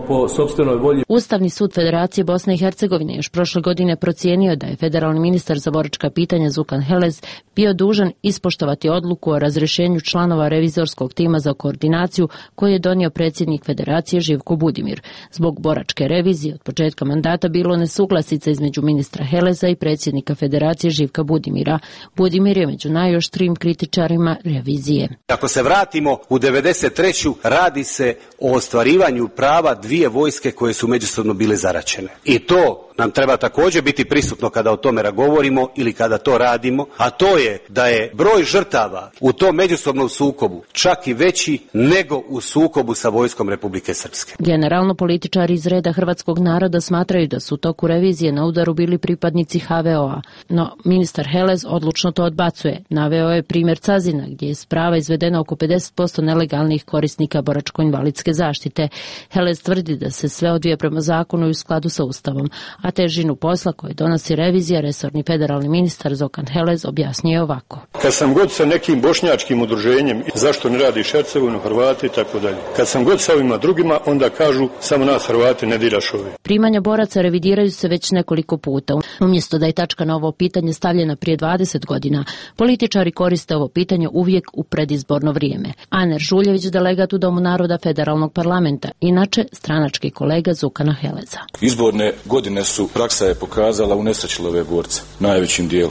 po sopstvenoj volji. Ustavni sud Federacije Bosne i Hercegovine još prošle godine procijenio da je federalni ministar za boračka pitanja Zukan Helez bio dužan ispoštovati odluku o razrješenju članova revizorskog tima za koordinaciju koju je donio predsjednik Federacije Živko Budimir. Zbog boračke revizije od početka mandata bilo nesuglasica između ministra Heleza i predsjednika Federacije Živka Budimira. Budimir je među najoštrijim kritičarima revizije. Ako se vratimo u 93. radi se o ostvarivanju prava dvije vojske koje su međusobno bile zaraćene. I to nam treba također biti prisutno kada o tome govorimo ili kada to radimo, a to je da je broj žrtava u tom međusobnom sukobu čak i veći nego u sukobu sa vojskom Republike Srpske. Generalno političari iz reda hrvatskog naroda smatraju da su u toku revizije na udaru bili pripadnici HVO-a, no ministar Helez odlučno to odbacuje. Naveo je primjer Cazina, gdje je s prava izvedeno oko 50% nelegalnih korisnika boračko-invalidske zaštite. Helez tvrdi da se sve odvija prema zakonu i u skladu sa Ustavom, a težinu posla koje donosi revizija resorni federalni ministar Zokan Helez objasnio ovako. Kad sam god sa nekim bošnjačkim udruženjem, zašto ne radiš Hercegovinu, Hrvati i tako dalje. Kad sam god sa ovima drugima, onda kažu samo nas Hrvati ne diraš ove. Primanja boraca revidiraju se već nekoliko puta. Umjesto da je tačka na ovo pitanje stavljena prije 20 godina, političari koriste ovo pitanje uvijek u predizborno vrijeme. Aner Žuljević, delegat u Domu naroda Federalnog parlamenta, inače stranački kolega Zukana Heleza. Izborne godine su, praksa je pokazala, unesrećile ove borce, najvećim dijelu.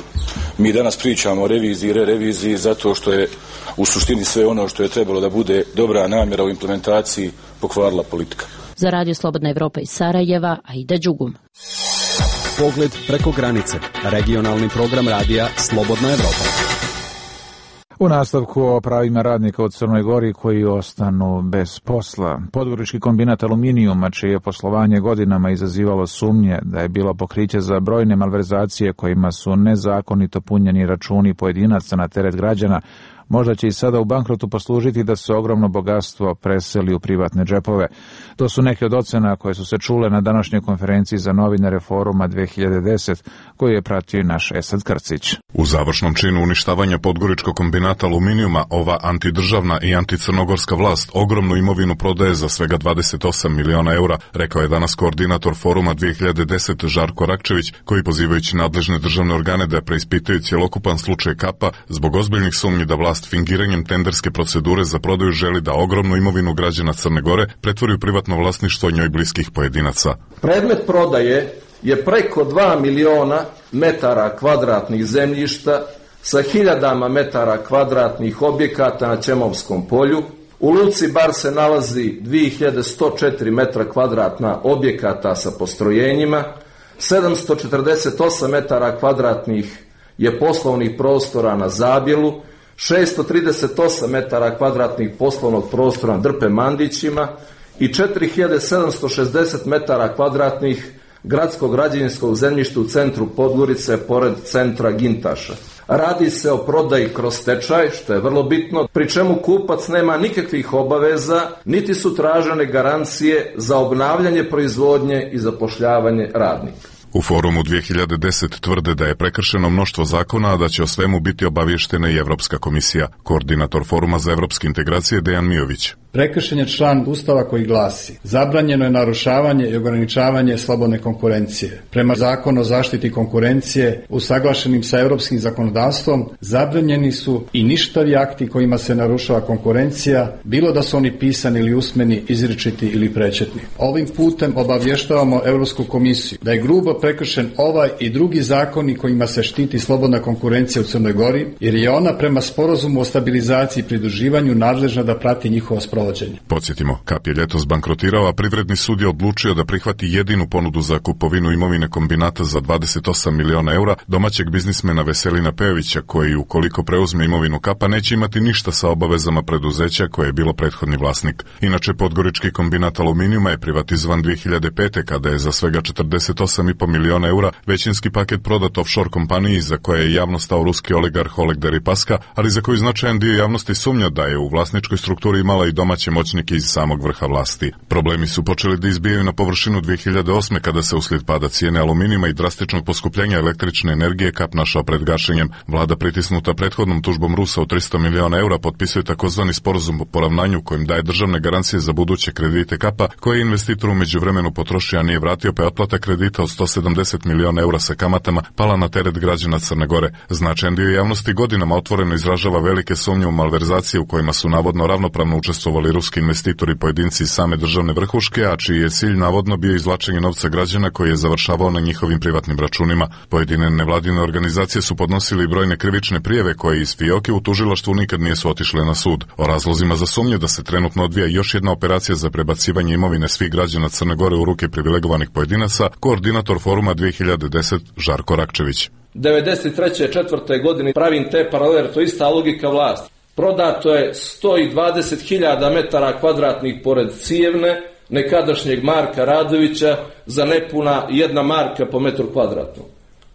Mi danas pričamo o reviziji i reviziji zato što je u suštini sve ono što je trebalo da bude dobra namjera u implementaciji pokvarila politika. Za Radio Slobodna Evropa iz Sarajeva, Aida Đugum. Pogled preko granice. Regionalni program radija Slobodna Evropa. U nastavku o pravima radnika u Crnoj Gori koji ostanu bez posla. Podgorički kombinat aluminijuma, čije poslovanje godinama izazivalo sumnje da je bilo pokriće za brojne malverzacije kojima su nezakonito punjeni računi pojedinaca na teret građana, možda će i sada u bankrotu poslužiti da se ogromno bogatstvo preseli u privatne džepove. To su neke od ocena koje su se čule na današnjoj konferenciji za novinare Foruma 2010, koju je pratio i naš Esad Krcić. U završnom činu uništavanja Podgoričkog kombinata aluminijuma, ova antidržavna i anticrnogorska vlast ogromnu imovinu prodaje za svega 28 miliona eura, rekao je danas koordinator Foruma 2010 Žarko Rakčević, koji pozivajući nadležne državne organe da preispitaju cjelokupan slučaj Kapa zbog ozbiljnih sumnji da vlast fingiranjem tenderske procedure za prodaju želi da ogromnu imovinu građana Crne Gore pretvori u privatno vlasništvo njoj bliskih pojedinaca. Predmet prodaje je preko 2 miliona metara kvadratnih zemljišta sa hiljadama metara kvadratnih objekata na Ćemovskom polju. U luci Bar se nalazi 2104 metra kvadratna objekata sa postrojenjima, 748 metara kvadratnih je poslovnih prostora na Zabjelu, 638 metara kvadratnih poslovnog prostora na Drpe Mandićima i 4760 metara kvadratnih gradskog građevinskog zemljišta u centru Podgorice pored centra Gintaša. Radi se o prodaji kroz stečaj, što je vrlo bitno, pri čemu kupac nema nikakvih obaveza, niti su tražene garancije za obnavljanje proizvodnje i zapošljavanje radnika. U Forumu 2010 tvrde da je prekršeno mnoštvo zakona, a da će o svemu biti obavještena i Evropska komisija. Koordinator Foruma za evropske integracije Dejan Mijović. Prekršen je član Ustava koji glasi: zabranjeno je narušavanje i ograničavanje slobodne konkurencije. Prema Zakonu o zaštiti konkurencije, usaglašenim sa europskim zakonodavstvom, zabranjeni su i ništavi akti kojima se narušava konkurencija, bilo da su oni pisani ili usmeni, izričiti ili prečetni. Ovim putem obavještavamo Europsku komisiju da je grubo prekršen ovaj i drugi zakoni kojima se štiti slobodna konkurencija u Crnoj Gori, jer je ona prema sporazumu o stabilizaciji i pridruživanju nadležna da prati njihovo sprovođenje. Podsjetimo, Kap je ljetos bankrotirao, a Privredni sud je odlučio da prihvati jedinu ponudu za kupovinu imovine kombinata za 28 miliona eura domaćeg biznismena Veselina Pejovića, koji ukoliko preuzme imovinu Kapa neće imati ništa sa obavezama preduzeća koje je bilo prethodni vlasnik. Inače, Podgorički kombinat aluminijuma je privatizovan 2005. kada je za svega 48,5 miliona eura većinski paket prodat offshore kompaniji za koje je javno stao ruski oligarh Oleg Deripaska, ali za koju značajan dio javnosti sumnja da je u vlasničkoj strukturi imala i domaće moćnike iz samog vrha vlasti. Problemi su počeli da izbijaju na površinu 2008. kada se uslijed pada cijene aluminijuma i drastičnog poskupljenja električne energije Kap našao pred gašenjem. Vlada pritisnuta prethodnom tužbom Rusa od 300 miliona eura potpisuje takozvani sporazum o poravnanju kojim daje državne garancije za buduće kredite Kapa, koje je investitor u međuvremenu potrošio, a nije vratio, pa je otplata kredita od 170 miliona eura sa kamatama pala na teret građana Crne Gore. Značajan dio javnosti godinama otvoreno izražava velike sumnje u malverzacije u kojima su navodno ravnopravno učestvovali ruski investitori i pojedinci iz same državne vrhuške, a čiji je cilj navodno bio izvlačenje novca građana koji je završavao na njihovim privatnim računima. Pojedine nevladine organizacije su podnosili brojne krivične prijave koje iz fioke u tužilaštvu nikad nisu otišle na sud. O razlozima za sumnju da se trenutno odvija još jedna operacija za prebacivanje imovine svih građana Crne Gore u ruke privilegovanih pojedinaca, koordinator Foruma 2010 Žarko Rakčević. 93. godine pravim te paralele, to je ista logika vlasti. Prodato je 120.000 metara kvadratnih pored Cijevne, nekadašnjeg Marka Radovića, za nepuna 1 marka po metru kvadratnom.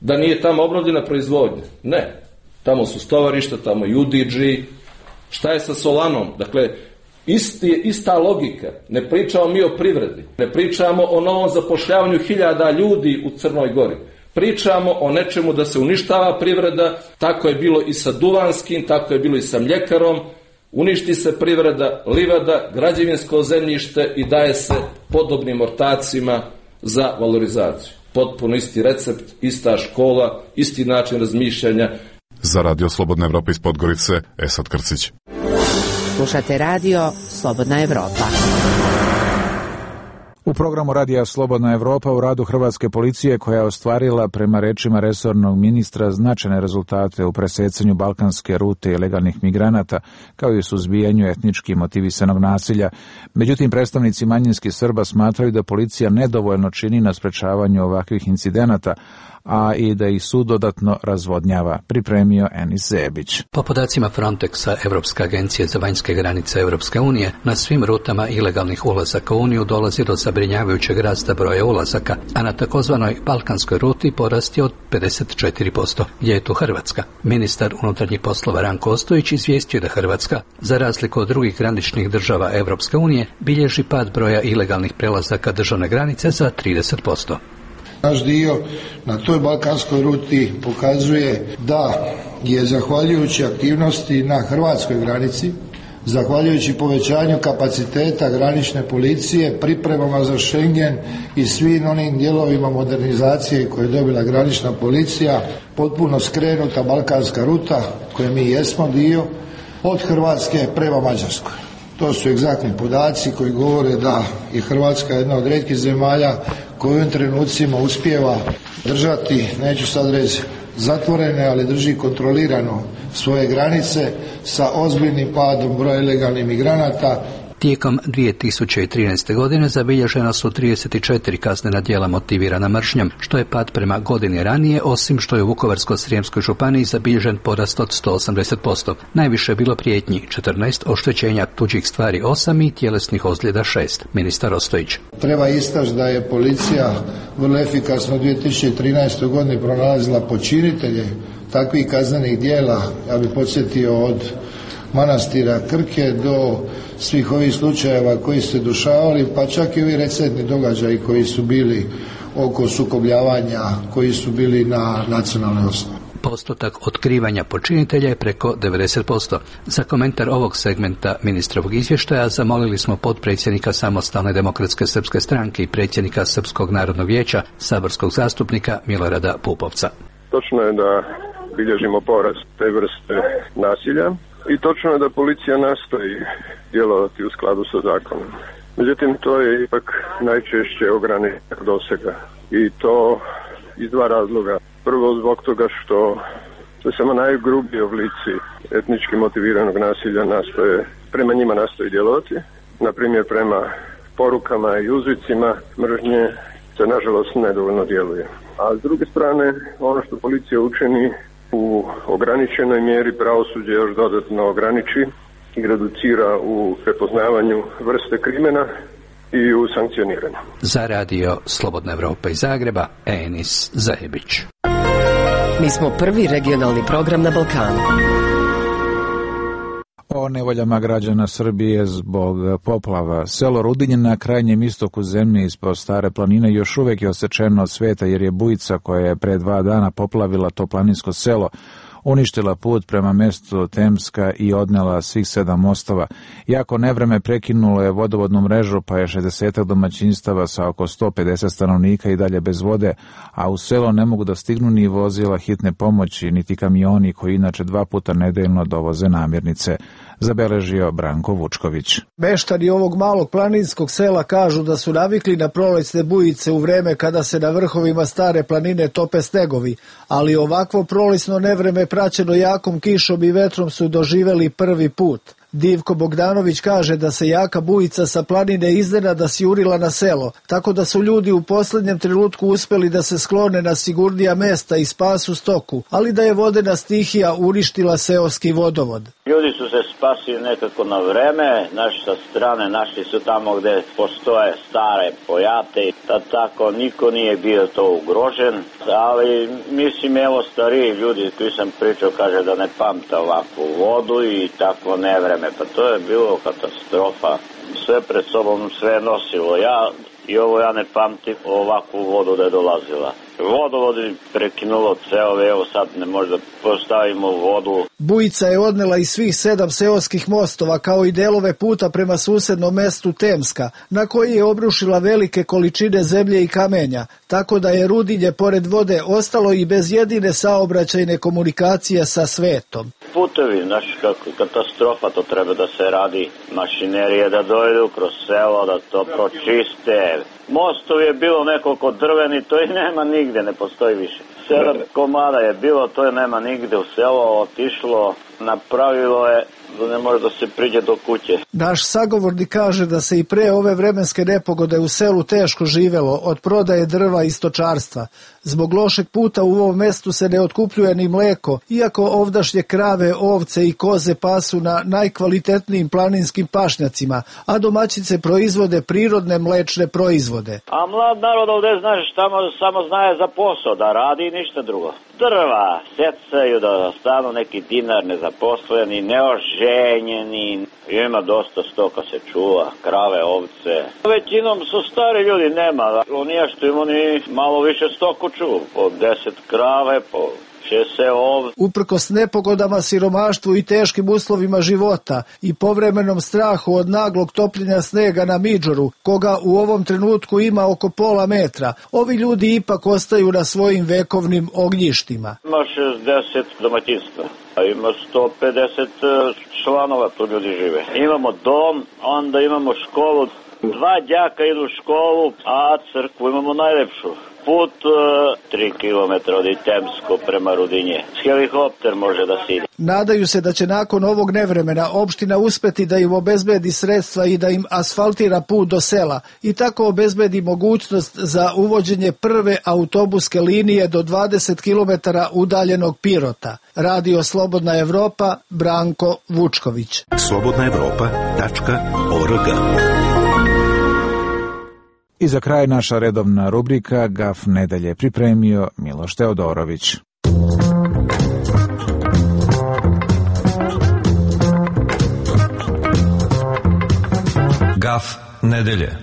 Da nije tamo obnovljena proizvodnja? Ne. Tamo su stovarišta, tamo je UDG. Šta je sa Solanom? Dakle, ista logika. Ne pričamo mi o privredi. Ne pričamo o novom zapošljavanju 1000 ljudi u Crnoj Gori. Pričamo o nečemu da se uništava privreda, tako je bilo i sa Duvanskim, tako je bilo i sa mljekarom, uništi se privreda, livada, građevinsko zemljište i daje se podobnim ortacima za valorizaciju. Potpuno isti recept, ista škola, isti način razmišljanja. Za Radio Slobodna Evropa iz Podgorice, Esad Krcić. Slušate Radio Slobodna Evropa. U programu Radija Slobodna Evropa u radu hrvatske policije, koja je ostvarila, prema rečima resornog ministra, značajne rezultate u presecanju balkanske rute ilegalnih migranata, kao i u suzbijanju etnički motivisanog nasilja. Međutim, predstavnici manjinskih Srba smatraju da policija nedovoljno čini na sprečavanju ovakvih incidenata, a i da ih sud dodatno razvodnjava, pripremio Enis Zebić. Po podacima Frontexa, Evropska agencija za vanjske granice Europske unije, na svim rutama ilegalnih ulazaka u Uniju dolazi do zabrinjavajućeg rasta broja ulazaka, a na takozvanoj balkanskoj ruti porast je od 54%. Gdje je tu Hrvatska? Ministar unutarnjih poslova Ranko Ostojić izvijestio da Hrvatska, za razliku od drugih graničnih država Europske unije, bilježi pad broja ilegalnih prelazaka državne granice za 30%. Naš dio na toj balkanskoj ruti pokazuje da je zahvaljujući aktivnosti na hrvatskoj granici, zahvaljujući povećanju kapaciteta granične policije, pripremama za Schengen i svim onim dijelovima modernizacije koje je dobila granična policija, potpuno skrenuta balkanska ruta koje mi jesmo dio od Hrvatske prema Mađarskoj. To su egzaktni podaci koji govore da je Hrvatska jedna od rijetkih zemalja koja u ovim trenucima uspijeva držati, neću sad reći zatvorene, ali drži kontrolirano svoje granice sa ozbiljnim padom broja ilegalnih migranata. Tijekom 2013. godine zabilježena su 34 kaznena djela motivirana mržnjom, što je pad prema godini ranije, osim što je u Vukovarsko-srijemskoj županiji zabilježen porast od 180%. Najviše je bilo prijetnji 14, oštećenja tuđih stvari 8 i tjelesnih ozljeda 6. Ministar Ostojić. Treba istaći da je policija vrlo efikasno u 2013. godini pronalazila počinitelje takvih kaznenih djela. Ja bih podsjetio od manastira Krke do svih ovih slučajeva koji su se dešavali, pa čak i ovi recentni događaji koji su bili oko sukobljavanja, koji su bili na nacionalnoj osnovi. Postotak otkrivanja počinitelja je preko 90%. Za komentar ovog segmenta ministrovog izvještaja zamolili smo potpredsjednika Samostalne demokratske srpske stranke i predsjednika Srpskog narodnog vijeća, saborskog zastupnika Milorada Pupovca. Točno je da bilježimo porast te vrste nasilja i točno je da policija nastoji djelovati u skladu sa zakonom. Međutim, to je ipak najčešće ograničenog dosega i to iz dva razloga. Prvo zbog toga što se samo najgrublji oblici etnički motiviranog nasilja prema njima nastoji djelovati. Na primjer, prema porukama i uzvicima mržnje se nažalost nedovoljno djeluje. A s druge strane, ono što policija učini u ograničenoj mjeri, pravosuđe još dodatno ograniči i reducira u prepoznavanju vrste krimena i u sankcioniranju. Za radio Slobodna Evropa iz Zagreba, Enis Zajebić. Mi smo prvi regionalni program na Balkanu. O nevoljama građana Srbije zbog poplava. Selo Rudinje na krajnjem istoku zemlje ispod Stare planine još uvijek je osečeno od sveta jer je bujica koja je pre 2 dana poplavila to planinsko selo uništila put prema mjestu Temska i odnela svih 7 mostova. Jako nevreme prekinulo je vodovodnu mrežu, pa je 60 domaćinstava sa oko 150 stanovnika i dalje bez vode, a u selo ne mogu da stignu ni vozila hitne pomoći, niti kamioni koji inače 2 puta nedeljno dovoze namirnice, zabeležio Branko Vučković. Meštani ovog malog planinskog sela kažu da su navikli na prolećne bujice u vreme kada se na vrhovima Stare planine tope snegovi, ali ovakvo prolećno nevreme praćeno jakom kišom i vetrom su doživeli prvi put. Divko Bogdanović kaže da se jaka bujica sa planine iznenada sjurila na selo, tako da su ljudi u posljednjem trenutku uspjeli da se sklone na sigurnija mesta i spasu stoku, ali da je vodena stihija uništila seoski vodovod. Ljudi su se spasili nekako na vreme, naši sa strane našli su tamo gdje postoje stare pojate i tako niko nije bio to ugrožen, ali mislim evo stariji ljudi koji sam pričao kaže da ne pamta ovakvu vodu i takvo nevreme. Pa to je bilo katastrofa. Sve pred sobom sve nosilo. Ja ne pamtim ovakvu vodu da je dolazila. Vodovod je prekinulo ceove, evo sad ne možda postavimo vodu. Bujica je odnela i svih 7 seoskih mostova, kao i delove puta prema susednom mestu Temska, na koji je obrušila velike količine zemlje i kamenja, tako da je Rudinje pored vode ostalo i bez jedine saobraćajne komunikacije sa svetom. Putevi, znaš kako katastrofa, to treba da se radi, mašinerije da dojdu kroz selo, da to pročiste. Mostov je bilo nekoliko drveni, to i nema nigde, ne postoji više. 7 komada je bilo, to je nema nigde u selo, otišlo, napravilo je da ne može da se priđe do kuće. Naš sagovornik kaže da se i pre ove vremenske nepogode u selu teško živelo od prodaje drva i stočarstva. Zbog lošeg puta u ovom mestu se ne otkupljuje ni mleko, iako ovdašnje krave, ovce i koze pasu na najkvalitetnijim planinskim pašnjacima, a domaćice proizvode prirodne mlečne proizvode. A mlad narod ovdje, znaš, samo znaje za posao, da radi i ništa drugo. Drva secaju, da stanu neki dinar nezaposleni, neoženjeni, ima dosta stoka se čuva, krave, ovce. Većinom su stari ljudi, nema, nije što im oni malo više stoku čuva, po 10 krave, po 6 ovce. Uprkos nepogodama, siromaštvu i teškim uslovima života i povremenom strahu od naglog topljenja snega na Midžoru, koga u ovom trenutku ima oko pola metra, ovi ljudi ipak ostaju na svojim vekovnim ognjištima. Ima 60 domaćinstva, a ima 150 članova, tu ljudi žive. Imamo dom, onda imamo školu, 2 đaka idu u školu, a crkvu imamo najlepšu. Put 3 km od Itemsko prema Rudinje. Helikopter može da sidi. Nadaju se da će nakon ovog nevremena opština uspeti da im obezbedi sredstva i da im asfaltira put do sela i tako obezbedi mogućnost za uvođenje prve autobuske linije do 20 km udaljenog Pirota. Radio Slobodna Evropa, Branko Vučković. slobodnaevropa.org. I za kraj naša redovna rubrika Gaf nedelje pripremio Miloš Teodorović. Gaf nedelje.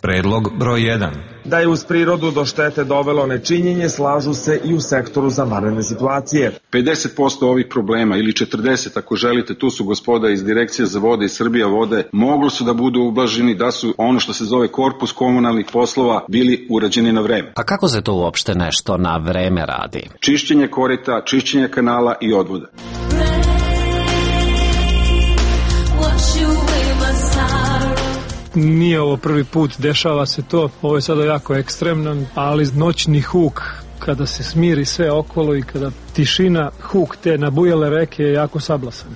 Predlog broj 1. Da je uz prirodu do štete dovelo nečinjenje, slažu se i u sektoru za vanredne situacije. 50% ovih problema ili 40% ako želite, tu su gospoda iz Direkcije za vode i Srbija vode, moglo su da budu ublaženi da su ono što se zove korpus komunalnih poslova bili urađeni na vreme. A kako se to uopšte nešto na vreme radi? Čišćenje korita, čišćenje kanala i odvoda. Nije ovo prvi put, dešava se to, ovo je sada jako ekstremno, ali noćni huk, kada se smiri sve okolo i kada tišina, huk te nabujale reke je jako sablasan.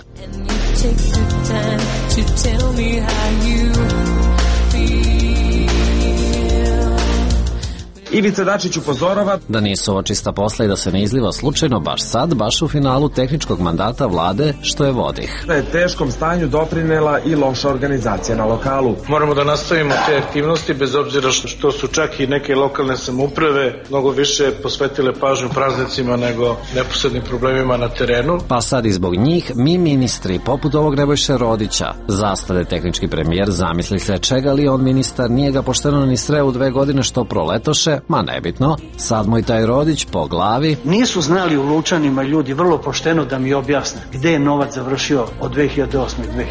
Ivica Dačić upozorava da nisu ovo čista posla i da se ne izliva slučajno baš sad, baš u finalu tehničkog mandata vlade, što je vodih. Da je teškom stanju doprinela i loša organizacija na lokalu. Moramo da nastavimo te aktivnosti, bez obzira što su čak i neke lokalne samouprave mnogo više posvetile pažnju praznicima nego neposrednim problemima na terenu. Pa sad i zbog njih, mi ministri, poput ovog Nebojše Rodića, zastade tehnički premijer, zamisli se čega li on ministar, nije ga pošteno ni sreo u 2 godine što proletoše, ma nebitno, sad mu i taj Rodić po glavi. Nisu znali u Lučanima ljudi vrlo pošteno da mi objasne gde je novac završio od 2008. i 2011.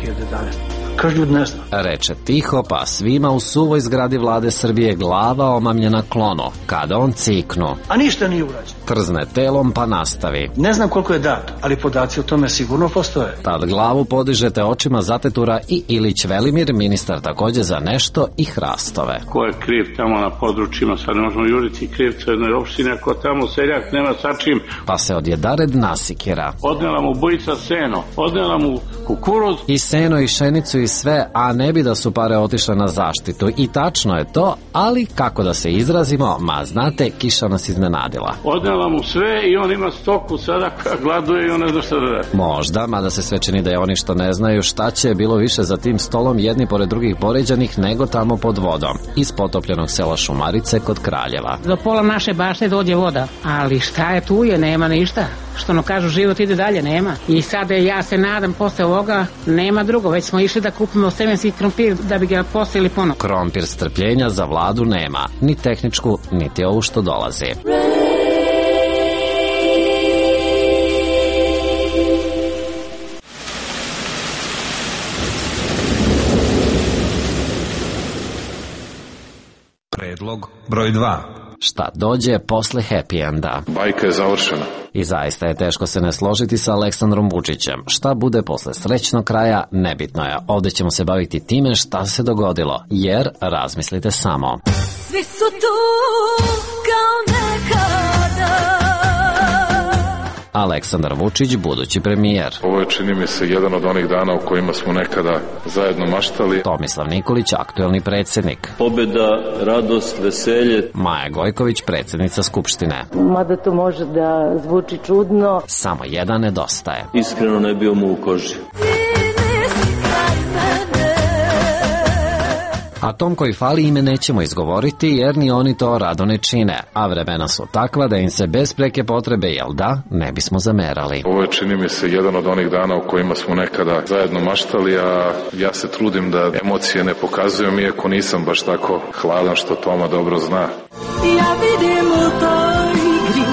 Kaže ljudi ne zna. Reče tiho, pa svima u suvoj zgradi vlade Srbije glava omamljena klono, kada on ciknu. A ništa nije urađeno. Trzne telom pa nastavi. Ne znam koliko je dato, ali podaci o tome sigurno postoje. Tad glavu podižete očima zatetura i Ilić Velimir, ministar takođe za nešto i hrastove. Ko je kriv tamo na područjima, sad ne možemo juriti krivca jednoj opštine, ako tamo seljak nema sa čim. Pa se odjedared nasikira. Odnela mu bujica seno, odnela mu kukuruz. I seno i šenicu i sve, a ne bi da su pare otišle na zaštitu. I tačno je to, ali kako da se izrazimo, ma znate, kiša nas iznenadila. Odnela mu sve i on ima stoku sada, gladuje i on ne zna šta da radi. Možda, mada se sve čini da je oni što ne znaju šta će bilo više za tim stolom jedni pored drugih poređanih nego tamo pod vodom. Iz potopljenog sela Šumarice kod Kraljeva. Do pola naše bašte dođe voda, ali šta je tu je, nema ništa. Što no kažu, život ide dalje, nema. I sada ja se nadam posle ovoga nema drugo, već smo išli da kupimo semenski krompir da bi ga posili ponovo. Krompir strpljenja za vladu nema, ni tehničku, niti ovu što dolazi. Predlog broj 2. Šta dođe posle happy enda? Bajka je završena. I zaista je teško se ne složiti sa Aleksandrom Vučićem. Šta bude posle srećnog kraja, nebitno je. Ovde ćemo se baviti time šta se dogodilo, jer razmislite samo. Svi su tu kao nekada. Aleksandar Vučić, budući premijer. Ovo je, čini mi se, jedan od onih dana u kojima smo nekada zajedno maštali. Tomislav Nikolić, aktuelni predsjednik. Pobjeda, radost, veselje. Maja Gojković, predsjednica Skupštine. Mada to može da zvuči čudno. Samo jedan nedostaje. Iskreno ne bio mu u koži. A tom koji fali ime nećemo izgovoriti jer ni oni to rado ne čine, a vremena su takva da im se bez preke potrebe, jel da, ne bismo zamerali. Ovo je, čini mi se, jedan od onih dana u kojima smo nekada zajedno maštali, a ja se trudim da emocije ne pokazujem, iako nisam baš tako hladan, što Toma dobro zna. Ja vidim u toj igri,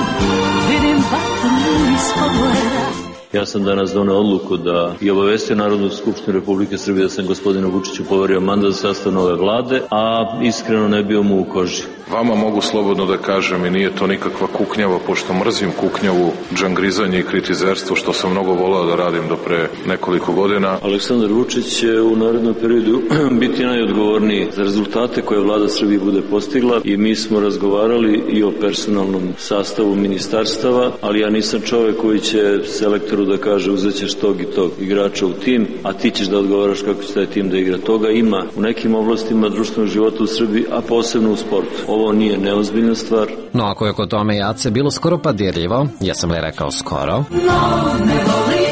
vidim vatru ispod leda. Ja sam danas doneo odluku da i obavestio Narodnu skupštinu Republike Srbije da sam gospodinu Vučiću poverio mandat za sastav nove vlade, a iskreno ne bio mu u koži. Vama mogu slobodno da kažem i nije to nikakva kuknjava, pošto mrzim kuknjavu, džangrizanje i kritizerstvo, što sam mnogo volao da radim do pre nekoliko godina. Aleksandar Vučić će u narednom periodu biti najodgovorniji za rezultate koje vlada Srbije bude postigla i mi smo razgovarali i o personalnom sastavu ministarstava, ali ja nisam čovek koji će selektoru da kaže uzećeš tog i tog igrača u tim, a ti ćeš da odgovaraš kako će taj tim da igra. Toga ima u nekim oblastima društvenog života u Srbiji, a posebno u sportu. Ovo nije neozbiljna stvar. No ako je kod tome Jace bilo skoro pa dirljivo, ja sam li rekao skoro? No, ne voli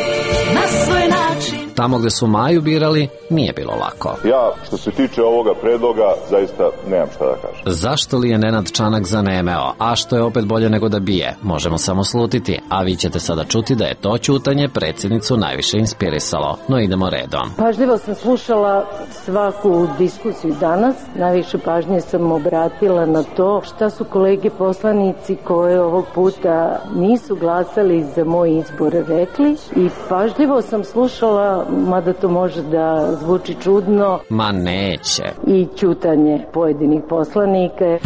na svoj način. Tamo gde su Maju birali, nije bilo lako. Ja, što se tiče ovoga predloga, zaista nemam šta da kažem. Zašto li je Nenad Čanak zanemeo? A što je opet bolje nego da bije? Možemo samo slutiti, a vi ćete sada čuti da je to ćutanje predsjednicu najviše inspirisalo. No idemo redom. Pažljivo sam slušala svaku diskusiju danas. Najviše pažnje sam obratila na to šta su kolege poslanici koje ovog puta nisu glasali za moj izbor rekli. I pažljivo sam slušala, mada to može da zvuči čudno, ma neće, i ćutanje pojedinih poslanika.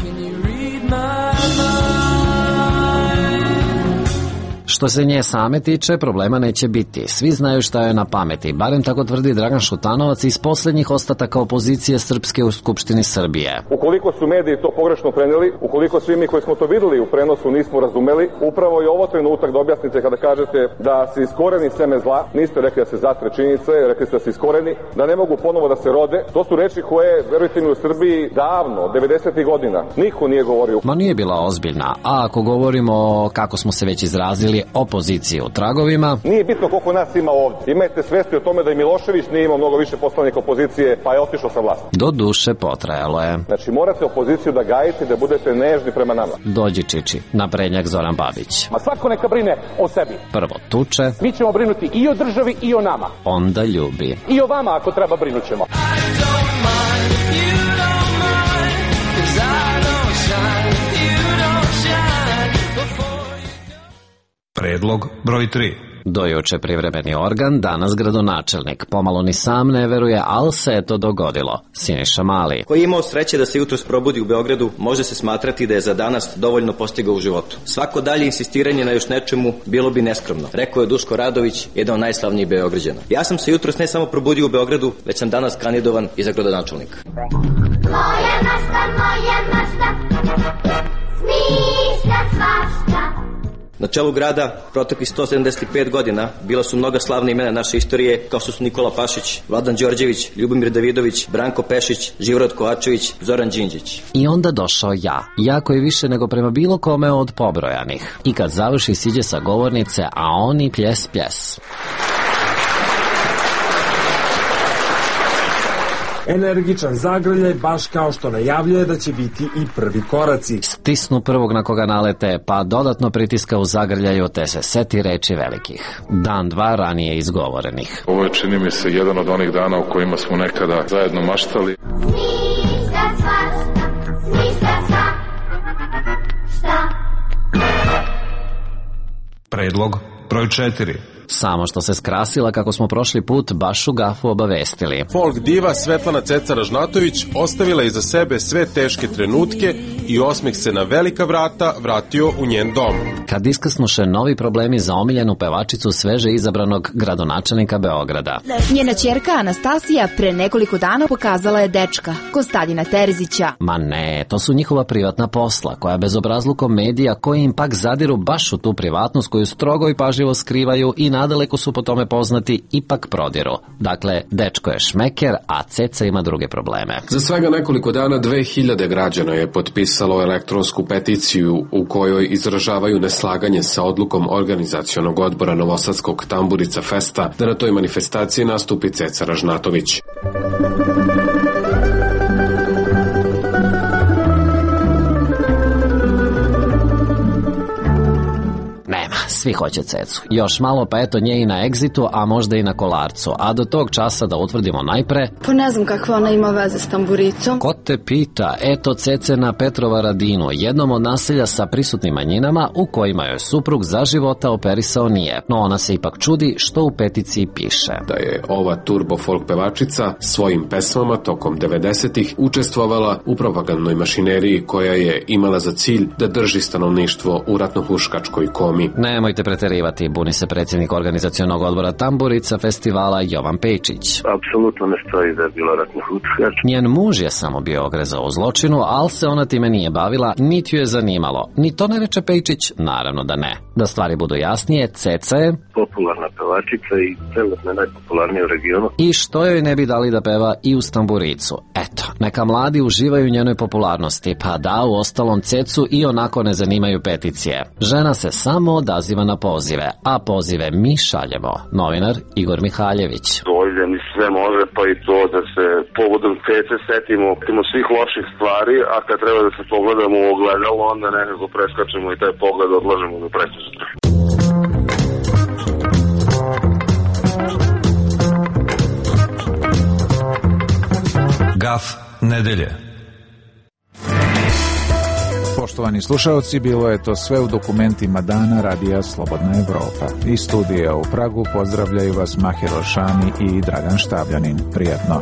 Što se nje same tiče, problema neće biti. Svi znaju šta je na pameti, barem tako tvrdi Dragan Šutanovac iz posljednjih ostataka opozicije srpske u Skupštini Srbije. Ukoliko su mediji to pogrešno preneli, ukoliko svi mi koji smo to videli u prenosu nismo razumeli, upravo je ovo trenutak da objasnite kada kažete da se iskoreni seme zla, niste rekli da se zatre činjenice, rekli ste da se iskoreni, da ne mogu ponovo da se rode. To su reči koje, verujte mi, u Srbiji davno, 90. godina, niko nije govorio. Ma nije bila ozbiljna, a ako govorimo kako smo se već izrazili, opozicije u tragovima. Nije bitno koliko nas ima ovdje. Imajte svesti o tome da i Milošević nije imao mnogo više poslanika opozicije, pa je otišao sa vlasti. Do duše potrajalo je. Znači morate opoziciju da gajite, da budete nežni prema nama. Dođi Čiči, naprednjak Zoran Babić. Ma svako neka brine o sebi. Prvo tuče. Mi ćemo brinuti i o državi i o nama. Onda ljubi. I o vama ako treba brinut ćemo. Predlog broj 3. Do juče privremeni organ, danas gradonačelnik. Pomalo ni sam ne veruje, ali se je to dogodilo. Siniša Mali. Koji je imao sreće da se jutros probudi u Beogradu, može se smatrati da je za danas dovoljno postigao u životu. Svako dalje insistiranje na još nečemu bilo bi neskromno, rekao je Duško Radović, jedan od najslavnijih Beograđana. Ja sam se jutros ne samo probudio u Beogradu, već sam danas kandidovan i za gradonačelnika. Moja masta, smišlja svašta. Na čelu grada proteklih 175 godina bila su mnoga slavna imena naše istorije, kao što su Nikola Pašić, Vladan Đorđević, Ljubomir Davidović, Branko Pešić, Živorad Kovačević, Zoran Đinđić. I onda došao ja koji više nego prema bilo kome od pobrojanih. I kad završi siđe sa govornice, a oni pljes. Energičan zagrljaj, baš kao što najavljuje da će biti i prvi koraci. Stisnu prvog na koga nalete, pa dodatno pritiska u zagrljaju, te se seti reči velikih. Dan, dva ranije izgovorenih. Ovo je, čini mi se, jedan od onih dana u kojima smo nekada zajedno maštali. Smišlja sva, šta? Predlog broj 4. Samo što se skrasila kako smo prošli put baš u gafu obavestili. Folk diva Svetlana Ceca Ražnatović ostavila iza sebe sve teške trenutke i osmeh se na velika vrata vratio u njen dom. Kad iskrsnuše novi problemi za omiljenu pevačicu sveže izabranog gradonačelnika Beograda. Njena ćerka Anastasija pre nekoliko dana pokazala je dečka, Konstantina Terzića. Ma ne, to su njihova privatna posla, koja bezobrazlukom medija koji im pak zadiru baš u tu privatnost koju strogo i pažljivo skrivaju i nadaleko su po tome poznati, ipak prodiru. Dakle, dečko je šmeker, a Ceca ima druge probleme. Za svega nekoliko dana 2000 građana je potpisalo elektronsku peticiju u kojoj izražavaju neslaganje sa odlukom organizacionog odbora Novosadskog Tamburica Festa da na toj manifestaciji nastupi Ceca Ražnatović. Svi hoće Cecu. Još malo pa eto nje i na egzitu, a možda i na kolarcu. A do tog časa da utvrdimo najpre... Pa ne znam kakva ona ima veze s tamburicom. Ko te pita? Eto Cece na Petrova Radinu, jednom od naselja sa prisutnim manjinama u kojima joj suprug za života operisao nije. No ona se ipak čudi što u peticiji piše. Da je ova turbo folk pevačica svojim pesmama tokom 90-ih učestvovala u propagandnoj mašineriji koja je imala za cilj da drži stanovništvo u ratnohuškačkoj komi. Nemojte preterivati, buni se predsjednik organizacionog odbora Tamburica festivala Jovan Pejčić. Apsolutno ne stoji da je bila ratna huškač. Njen muž je samo bio ogrezao u zločinu, ali se ona time nije bavila, niti ju je zanimalo. Ni to ne reče Pejčić? Naravno da ne. Da stvari budu jasnije, Ceca je popularna pevačica i trenutno najpopularnija u regionu. I što joj ne bi dali da peva i uz tamburicu? Eto, neka mladi uživaju u njenoj popularnosti, pa da, u ostalom Cecu i onako ne zanimaju peticije. Žena se samo odaziva na pozive, a pozive mi šaljemo. Novinar Igor Mihaljević. Dojde mi sve može, pa i to da se povodom Cece setimo svih loših stvari, a kad treba da se pogledamo u ogledalo, onda nekako preskačemo i taj pogled odlažemo do presutra. Gaf nedelje. Poštovani slušalci, bilo je to sve u dokumentima dana Radija Slobodna Evropa. Iz studija u Pragu pozdravljaju vas Mahir Olšani i Dragan Štavljanin. Prijatno.